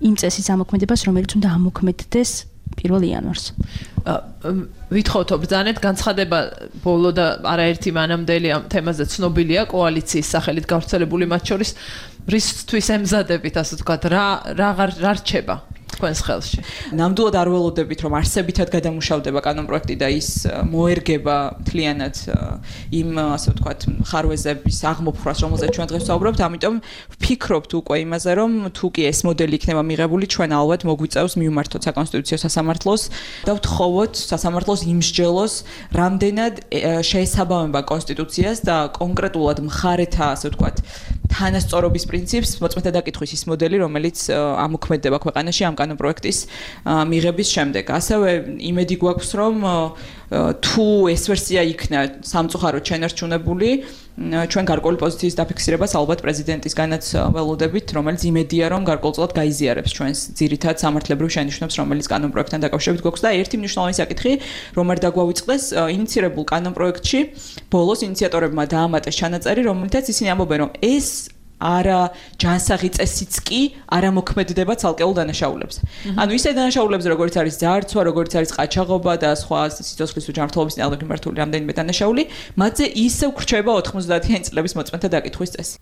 იმ წესის ამოქმედებას, რომელიც უნდა ამოქმედდეს პირველ იანვარს. ვითხოვთ ბრძანეთ განცხადება ბოლო და არაერთი მანამდელი ამ თემაზე ცნობილია კოალიციის სახელით გავრცელებული მათ შორის რისთვის ემზადებით ასე ვთქვათ რა რა რჩება თქვენს ხელში. ნამდვილად არ ველოდებით რომ არსებითად გადამუშავდება კანონ პროექტი და ის მოერგება მთლიანად იმ ასე ვთქვათ ხარვეზების აღმოფხვრას, რომელზეც ჩვენ დღეს ვსაუბრობთ, ამიტომ ვფიქრობთ უკვე იმაზე, რომ თუ კი ეს მოდელი იქნება მიღებული, ჩვენ ალბათ მოგვიწევს მივმართოთ საკონსტიტუციო სასამართლოს და ვთხოვოთ სასამართლოს იმსჯელოს, რამდენად შეესაბამება კონსტიტუციას და კონკრეტულად მხარეთა, ასე ვთქვათ, თანასწორობის პრინციპს მოწმეთა დაკითხვის ის მოდელი, რომელიც ამოქმედდება ქვეყანაში ამ კანონ პროექტის მიღების შემდეგ. ასევე იმედი გვაქვს, რომ თუ ეს ვერსია იქნა სამწუხაროდ შენარჩუნებული, ჩვენ გარკვეული პოზიციის დაფიქსირებას ალბათ პრეზიდენტისგანაც ველოდებით, რომელიც იმედია, რომ გარკვეულწილად გაიზიარებს ჩვენს ძირითად სამართლებრივ შენიშვნებს, რომელიც კანონ პროექტთან დაკავშირებით გვაქვს და ერთი მნიშვნელოვანი საკითხი, რომ არ დაგვავიწყდეს ინიციირებულ კანონ პროექტში ბოლოს ინიციატორებმა დაამატეს ჩანაწერი, რომელთაც ისინი ამბობენ, რომ ეს არა ჯანსაღი წესიც კი არ ამოქმედდება ცალკეულ დანაშაულებს. ანუ ისე დანაშაულებს, როგორც არის ძარცვა, როგორც არის ყაჩაღობა და სხვა სიცოცხლის უჯანმრთელობის ნებართული მიმართული რამდენიმე დანაშაული, მათზე ისევ გრჩება ოთხმოცდაათიანი წლების მოწმეთა დაკითხვის წესი.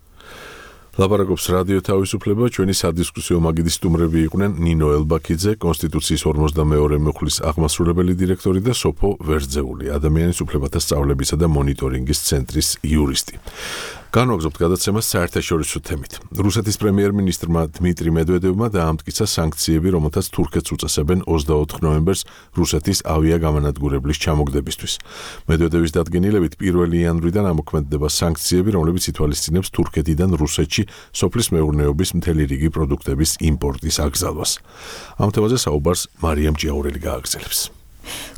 ლაპარაკობს რადიო თავისუფლება, ჩვენი სადისკუსიო მაგიდის სტუმრები იყვნენ ნინო ელბაქიძე, კონსტიტუციის ორმოცდამეორე მუხლის აღმასრულებელი დირექტორი და სოფო ვერძეული, ადამიანის უფლებათა სწავლებისა და მონიტორინგის ცენტრის იურისტი. განვაგრძობთ გადაცემას საერთაშორისო თემით. რუსეთის პრემიერ-მინისტრმა დმიტრი მედვედევმა დაამტკიცა სანქციები, რომელთაც თურქეთს უწესებენ ოცდაოთხ ნოემბერს რუსეთის ავიაგამანადგურებლის ჩამოგდებისთვის. მედვედევის დადგენილებით პირველი იანვრიდან ამოქმედდება სანქციები, რომლებიც ითვალისწინებს თურქეთიდან რუსეთში სოფლის მეურნეობის მთელი რიგი პროდუქტების იმპორტის აკრძალვას. ამ თემაზე საუბარს მარიამ ჭიაურელი გააგრძელებს.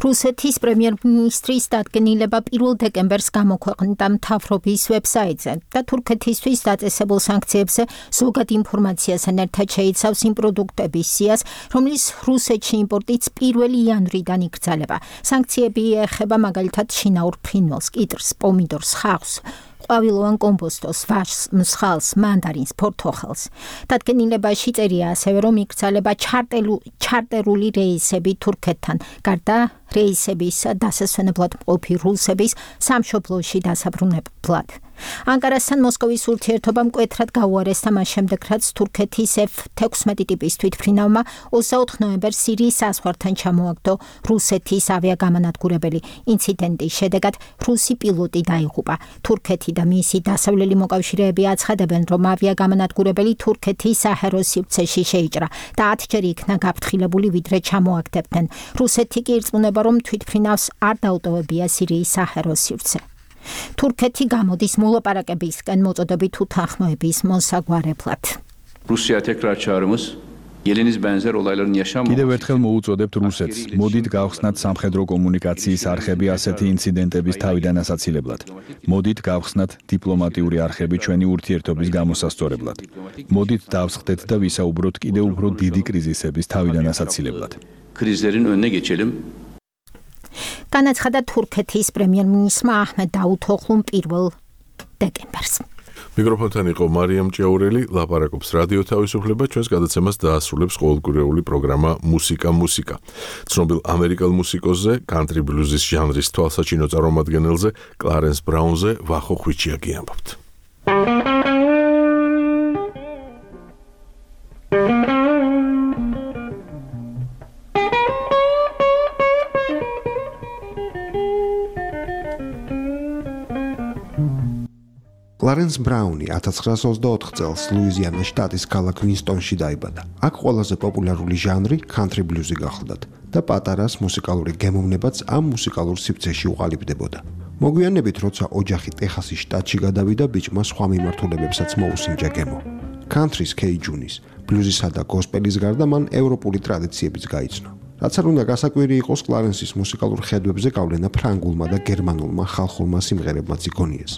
რუსეთის პრემიერ-მინისტრის დადგენილება პირველ დეკემბერს გამოქვეყნდა მთავრობის ვებსაიტზე და თურქეთისთვის დაწესებულ სანქციებზე ზოგად ინფორმაციასთან ერთად შეიცავს იმ პროდუქტების სიას, რომლის რუსეთში იმპორტიც პირველი იანვრიდან იკრძალება. სანქციები ეხება მაგალითად შინაურ ფრინველს, კიტრს, პომიდორს, ხავსს, ყვავილოვან კომბოსტოს, ვაშს, მსხალს, მანდარინს, ფორთოხელს. დადგენილებაში წერია ასევე, რომ იკრძალება ჩარტერული რეისები თურქეთთან, გარდა რეისების დასასვენებლად მყოფი რუსების სამშობლოში დასაბრუნებლად. ანკარასთან მოსკოვის ურთიერთობა მკვეთრად გაუარესდა მას შემდეგ, რაც თურქეთის ეფ თექვსმეტი ტიპის თვითმფრინავმა ოცდაოთხ ნოემბერს სირიის საზღვართან ჩამოაგდო რუსეთის ავიაგამანადგურებელი. ინციდენტის შედეგად რუსი პილოტი დაიღუპა. თურქეთი და მისი დასავლელი მოკავშირეები აცხადებენ, რომ ავიაგამანადგურებელი თურქეთის საჰაერო სივრცეში შეიჭრა და ათჯერ იქნა გაფრთხილებული, ვიდრე ჩამოაგდებდნენ. რუსეთი კი ირწმუნება, რომ თვითმფრინავს არ დაუტოვებია სირიის საჰაერო სივრცე. თურქეთი გამოდის მოლაპარაკებისკენ მოწოდებით უთანხმოების მოსაგვარებლად. რუსია თექრაჩარმოს Yelenis benzer olayların yaşanmaması. კიდევ ერთხელ მოუწოდებთ რუსეთს, მოდით გავხსნათ სამხედრო კომუნიკაციის არხები ასეთი ინციდენტების თავიდან ასაცილებლად. მოდით გავხსნათ დიპლომატიური არხები ჩვენი ურთიერთობის გამოსასწორებლად. მოდით დავსხდეთ და ვისაუბროთ კიდევ უფრო დიდი კრიზისების თავიდან ასაცილებლად. Krizlerin önüne geçelim. განაცხადა თურქეთის პრემიერ-მინისტრმა აჰმედ დაუთოღლუმ პირველ დეკემბერს. მიკროფონთან იყო მარიამ ჭიაურელი, ლაპარაკობს რადიო თავისუფლება, ჩვენს გადაცემას დაასრულებს ყოველკვირეული პროგრამა მუსიკა მუსიკა. ცნობილ ამერიკელ მუსიკოსზე, კანტრი ბლუზის ჟანრის თვალსაჩინო წარმომადგენელზე, კლარენს ბრაუნზე, ვახო ხვიჩიაკი ამბობთ. კლარენს ბრაუნი ათას ცხრაას ოცდაოთხ წელს ლუიზიანის შტატის ქალაქ ვინსტონში დაიბადა. აქ ყველაზე პოპულარული ჟანრი country blues-ი გახლდათ და პატარას მუსიკალური გემოვნებაც ამ მუსიკალურ სივრცეში უყალიბდებოდა. მოგვიანებით, როცა ოჯახი ტეხასის შტატში გადავიდა, ბიჭმა სხვა მიმართულებებსაც მოუსინჯა გემო. country-ს კეიჯუნის, ბლუზისა და გოსპელის გარდა მან ევროპული ტრადიციებიც გაიცნო. რაც არ უნდა გასაკვირი იყოს, კლარენსის მუსიკალურ ხედვებზე გავლენა ფრანგულმა და გერმანულმა ხალხურმა სიმღერებმაც იქონიეს.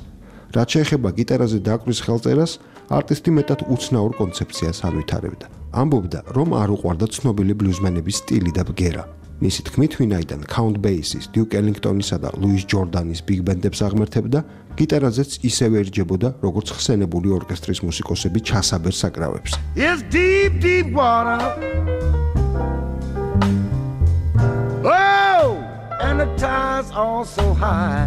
რაც შეეხება გიტარაზე დაკვრის ხელწერას, არტისტი მეტად უცნაურ კონცეფციას ანვითარებდა. ამბობდა, რომ არ უყვარდა ცნობილი ბლუზმენების სტილი და ბგერა. მისი თქმით, ვინაიდან Count Basie's, Duke Ellington-ისა და Louis Jordan-ის big band-ებს აღმერთებდა, გიტარაზეც ისევე ერჯებოდა, როგორც ხსენებული ორკესტრის მუსიკოსები ჩასაბერ საკრავებს. It's deep, deep water. Oh, and the tide's all so high.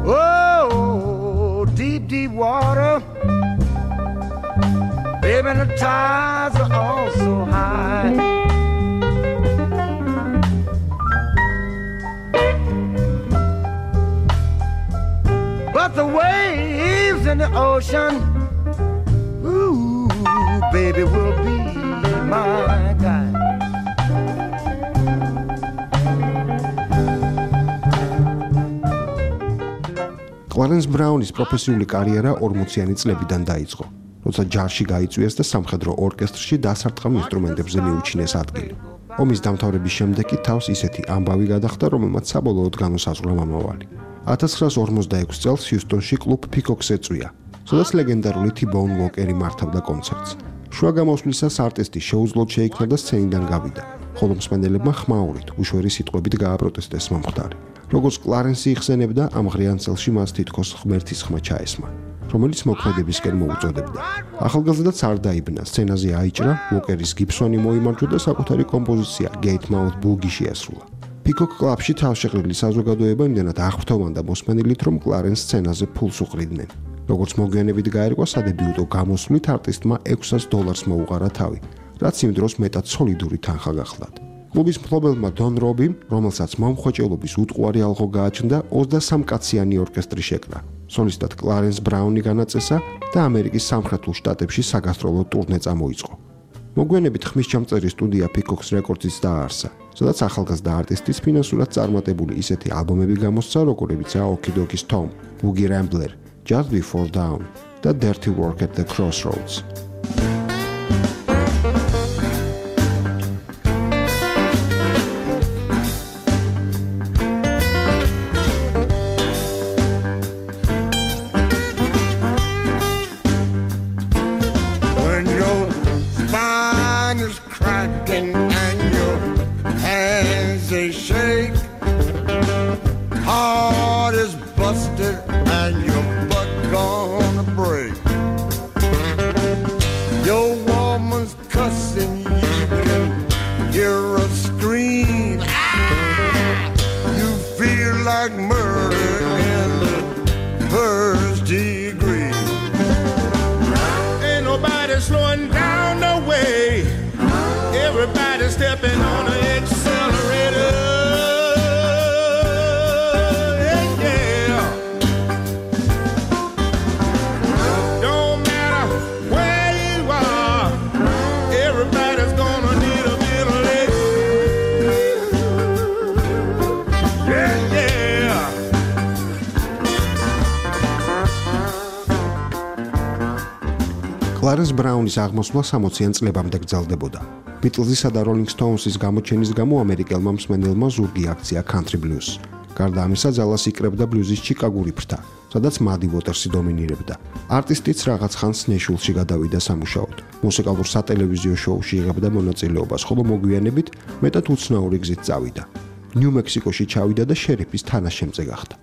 Oh, deep, deep water. Baby, the tides are all so high. But the waves in the ocean, ooh, baby, will be my guide. კლარენს ბრაუნის პროფესიული კარიერა ორმოციანი წლებიდან დაიწყო, როცა ჯარში გაიწვიეს და სამხედრო ორკესტრში დასარტყამ ინსტრუმენტებზე მიუჩინეს ადგილი. ომის დამთავრების შემდეგ კი თავს ისეთი ამბავი გადახდა, რომელმაც საბოლოოდ განუსაზღვრა მომავალი. ათას ცხრაას ორმოცდაექვსი წელს ჰიუსტონში კლუბ Peacock's ეწვია, სადაც ლეგენდარული T-Bone Walker-ი მართავდა კონცერტს. შუა გამოსვლისას არტისტი შეუძლოდ შეიქმნა და სცენიდან გავიდა, ხოლო მსმენელებმა ხმაურით, უშვერი სიტყვებით გააპროტესტეს მომხდარი. როგორც კლარენსი იხსენებდა, ამ ღრიან წელში მას თითქოს ღმერთის ხმა ჩაესმა, რომელიც მოქმედებისკენ მოუწოდებდა. ახალგაზრდაც არ დაიბნა, სცენაზე აიჭრა, Walker-ის გიბსონი მოიმარჯვა და საკუთარი კომპოზიცია Gate Mouth Boogie შეასრულა. Peacock კლუბში თავშეყრილი საზოგადოება იმდენად აღფრთოვანდა მოსმენილით, რომ კლარენს სცენაზე ფულს უყრიდნენ. როგორც მოგვიანებით გაერკვა, სადებიუტო გამოსვლით არტისტმა ექვსას დოლარს მოუყარა თავი, რაც იმ დროს მეტად სოლიდური თანხა გახლდათ. კლუბის მფლობელმა დონ რობიმ, რომელსაც მომხვეჭელობის უტყუარი ალღო გააჩნდა, ოცდასამ კაციანი ორკესტრი შეკრა. სოლისტად კლარენს ბრაუნი განაწესა და ამერიკის სამხრეთულ შტატებში საგასტროლო ტურნე წამოიწყო. მოგვიანებით ხმისჩამწერი სტუდია Peacock's Records-იც დააარსა, სადაც ახალგაზრდა არტისტის ფინანსურად წარმატებული ისეთი ალბომები გამოსცა, როგორებიცაა Okidoki's Tom, Boogie Rambler, Just Before Dawn და Dirty Work at the Crossroads. Stepping on the accelerator, yeah, yeah. Don't matter where you are, everybody's gonna need a bit of leg, yeah, yeah. კლარენს ბრაუნის აღმოსვლა სამოციან წლებამდე გრძელდებოდა. Beatles-ისა და Rolling Stones-ის გამოჩენის გამო ამერიკელმა მსმენელმა ზურგი აქცია country blues. გარდა ამისა, ძალას იკრებდა ბლუზის ჩიკაგური ფრთა, სადაც Muddy Waters-ი დომინირებდა. არტისტიც რაღაც ხანს ნეშვილში გადავიდა სამუშაოდ. მუსიკალურ სატელევიზიო შოუში იღებდა მონაწილეობას, ხოლო მოგვიანებით მეტად უცნაური გზით წავიდა. ნიუ-მექსიკოში ჩავიდა და შერიფის თანაშემწე გახდა.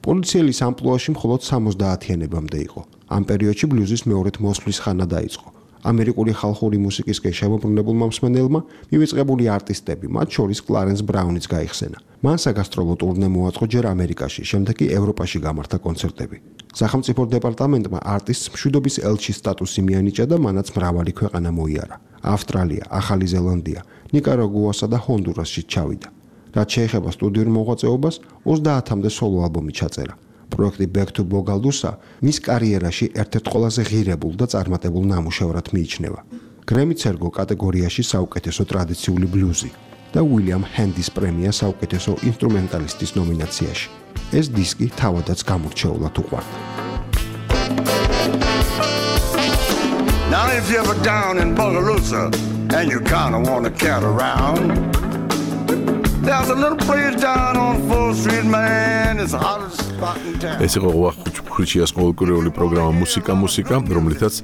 პოლიციელის ამპლუაში მხოლოდ სამოცდაათიანებამდე იყო. ამ პერიოდში ბლუზის მეორედ მოსვლის ხანა დაიწყო. ამერიკული ხალხური მუსიკისკენ შემოbrunებულმა მსმენელმა მივიწყებული არტისტები, მათ შორის კლარენს ბრაუნიც გაიხსენა. მან საგასტროლო ტურნე მოაწყო ჯერ ამერიკაში, შემდეგ კი ევროპაში გამართა კონცერტები. სახელმწიფო დეპარტამენტმა არტისტს მშვიდობის ელჩის სტატუსი მიანიჭა და მანაც მრავალი ქვეყანა მოიარა. ავსტრალია, ახალი ზელანდია, ნიკარაგუასა და ჰონდურასში ჩავიდა. რაც შეეხება სტუდიურ მოღვაწეობას, ოცდაათამდე სოლო ალბომი ჩაწერა. პროექტი Back to Bogaldusa მის კარიერაში ერთ-ერთ ყველაზე ღირებულ და წარმატებულ ნამუშევრად მიიჩნევა. გრემი ცერგო კატეგორიაში საუკეთესო ტრადიციული ბლუზი და უილიამ ჰენდის პრემია საუკეთესო ინსტრუმენტალისტის ნომინაციაში. ეს დისკი თავადაც გამორჩეულად უყვარდა. Now if you're ever down in Bogalusa and you kinda wanna cat around, there's a little place down on fourth street, man, it's the hottest spot in town. ეს იყო ხუჩიას ყოველკვირეული პროგრამა მუსიკა მუსიკა, რომლითაც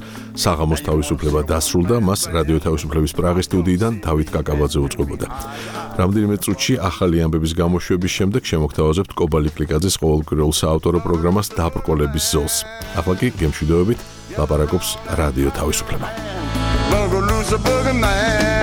საღამოს თავისუფლება დასრულდა, მას რადიო თავისუფლების პრაღის სტუდიიდან დავით კაკაბაძე უწყობოდა. რამდენიმე წუთში ახალი ამბების გამოშვების შემდეგ შემოგთავაზებთ კობალი კლიკაძის ყოველკვირეულ საავტორო პროგრამას დაბრკოლების ზოლს. ახლა კი გემშვიდობებით ლაპარაკობს რადიო თავისუფლება. Bogalusa boogie man.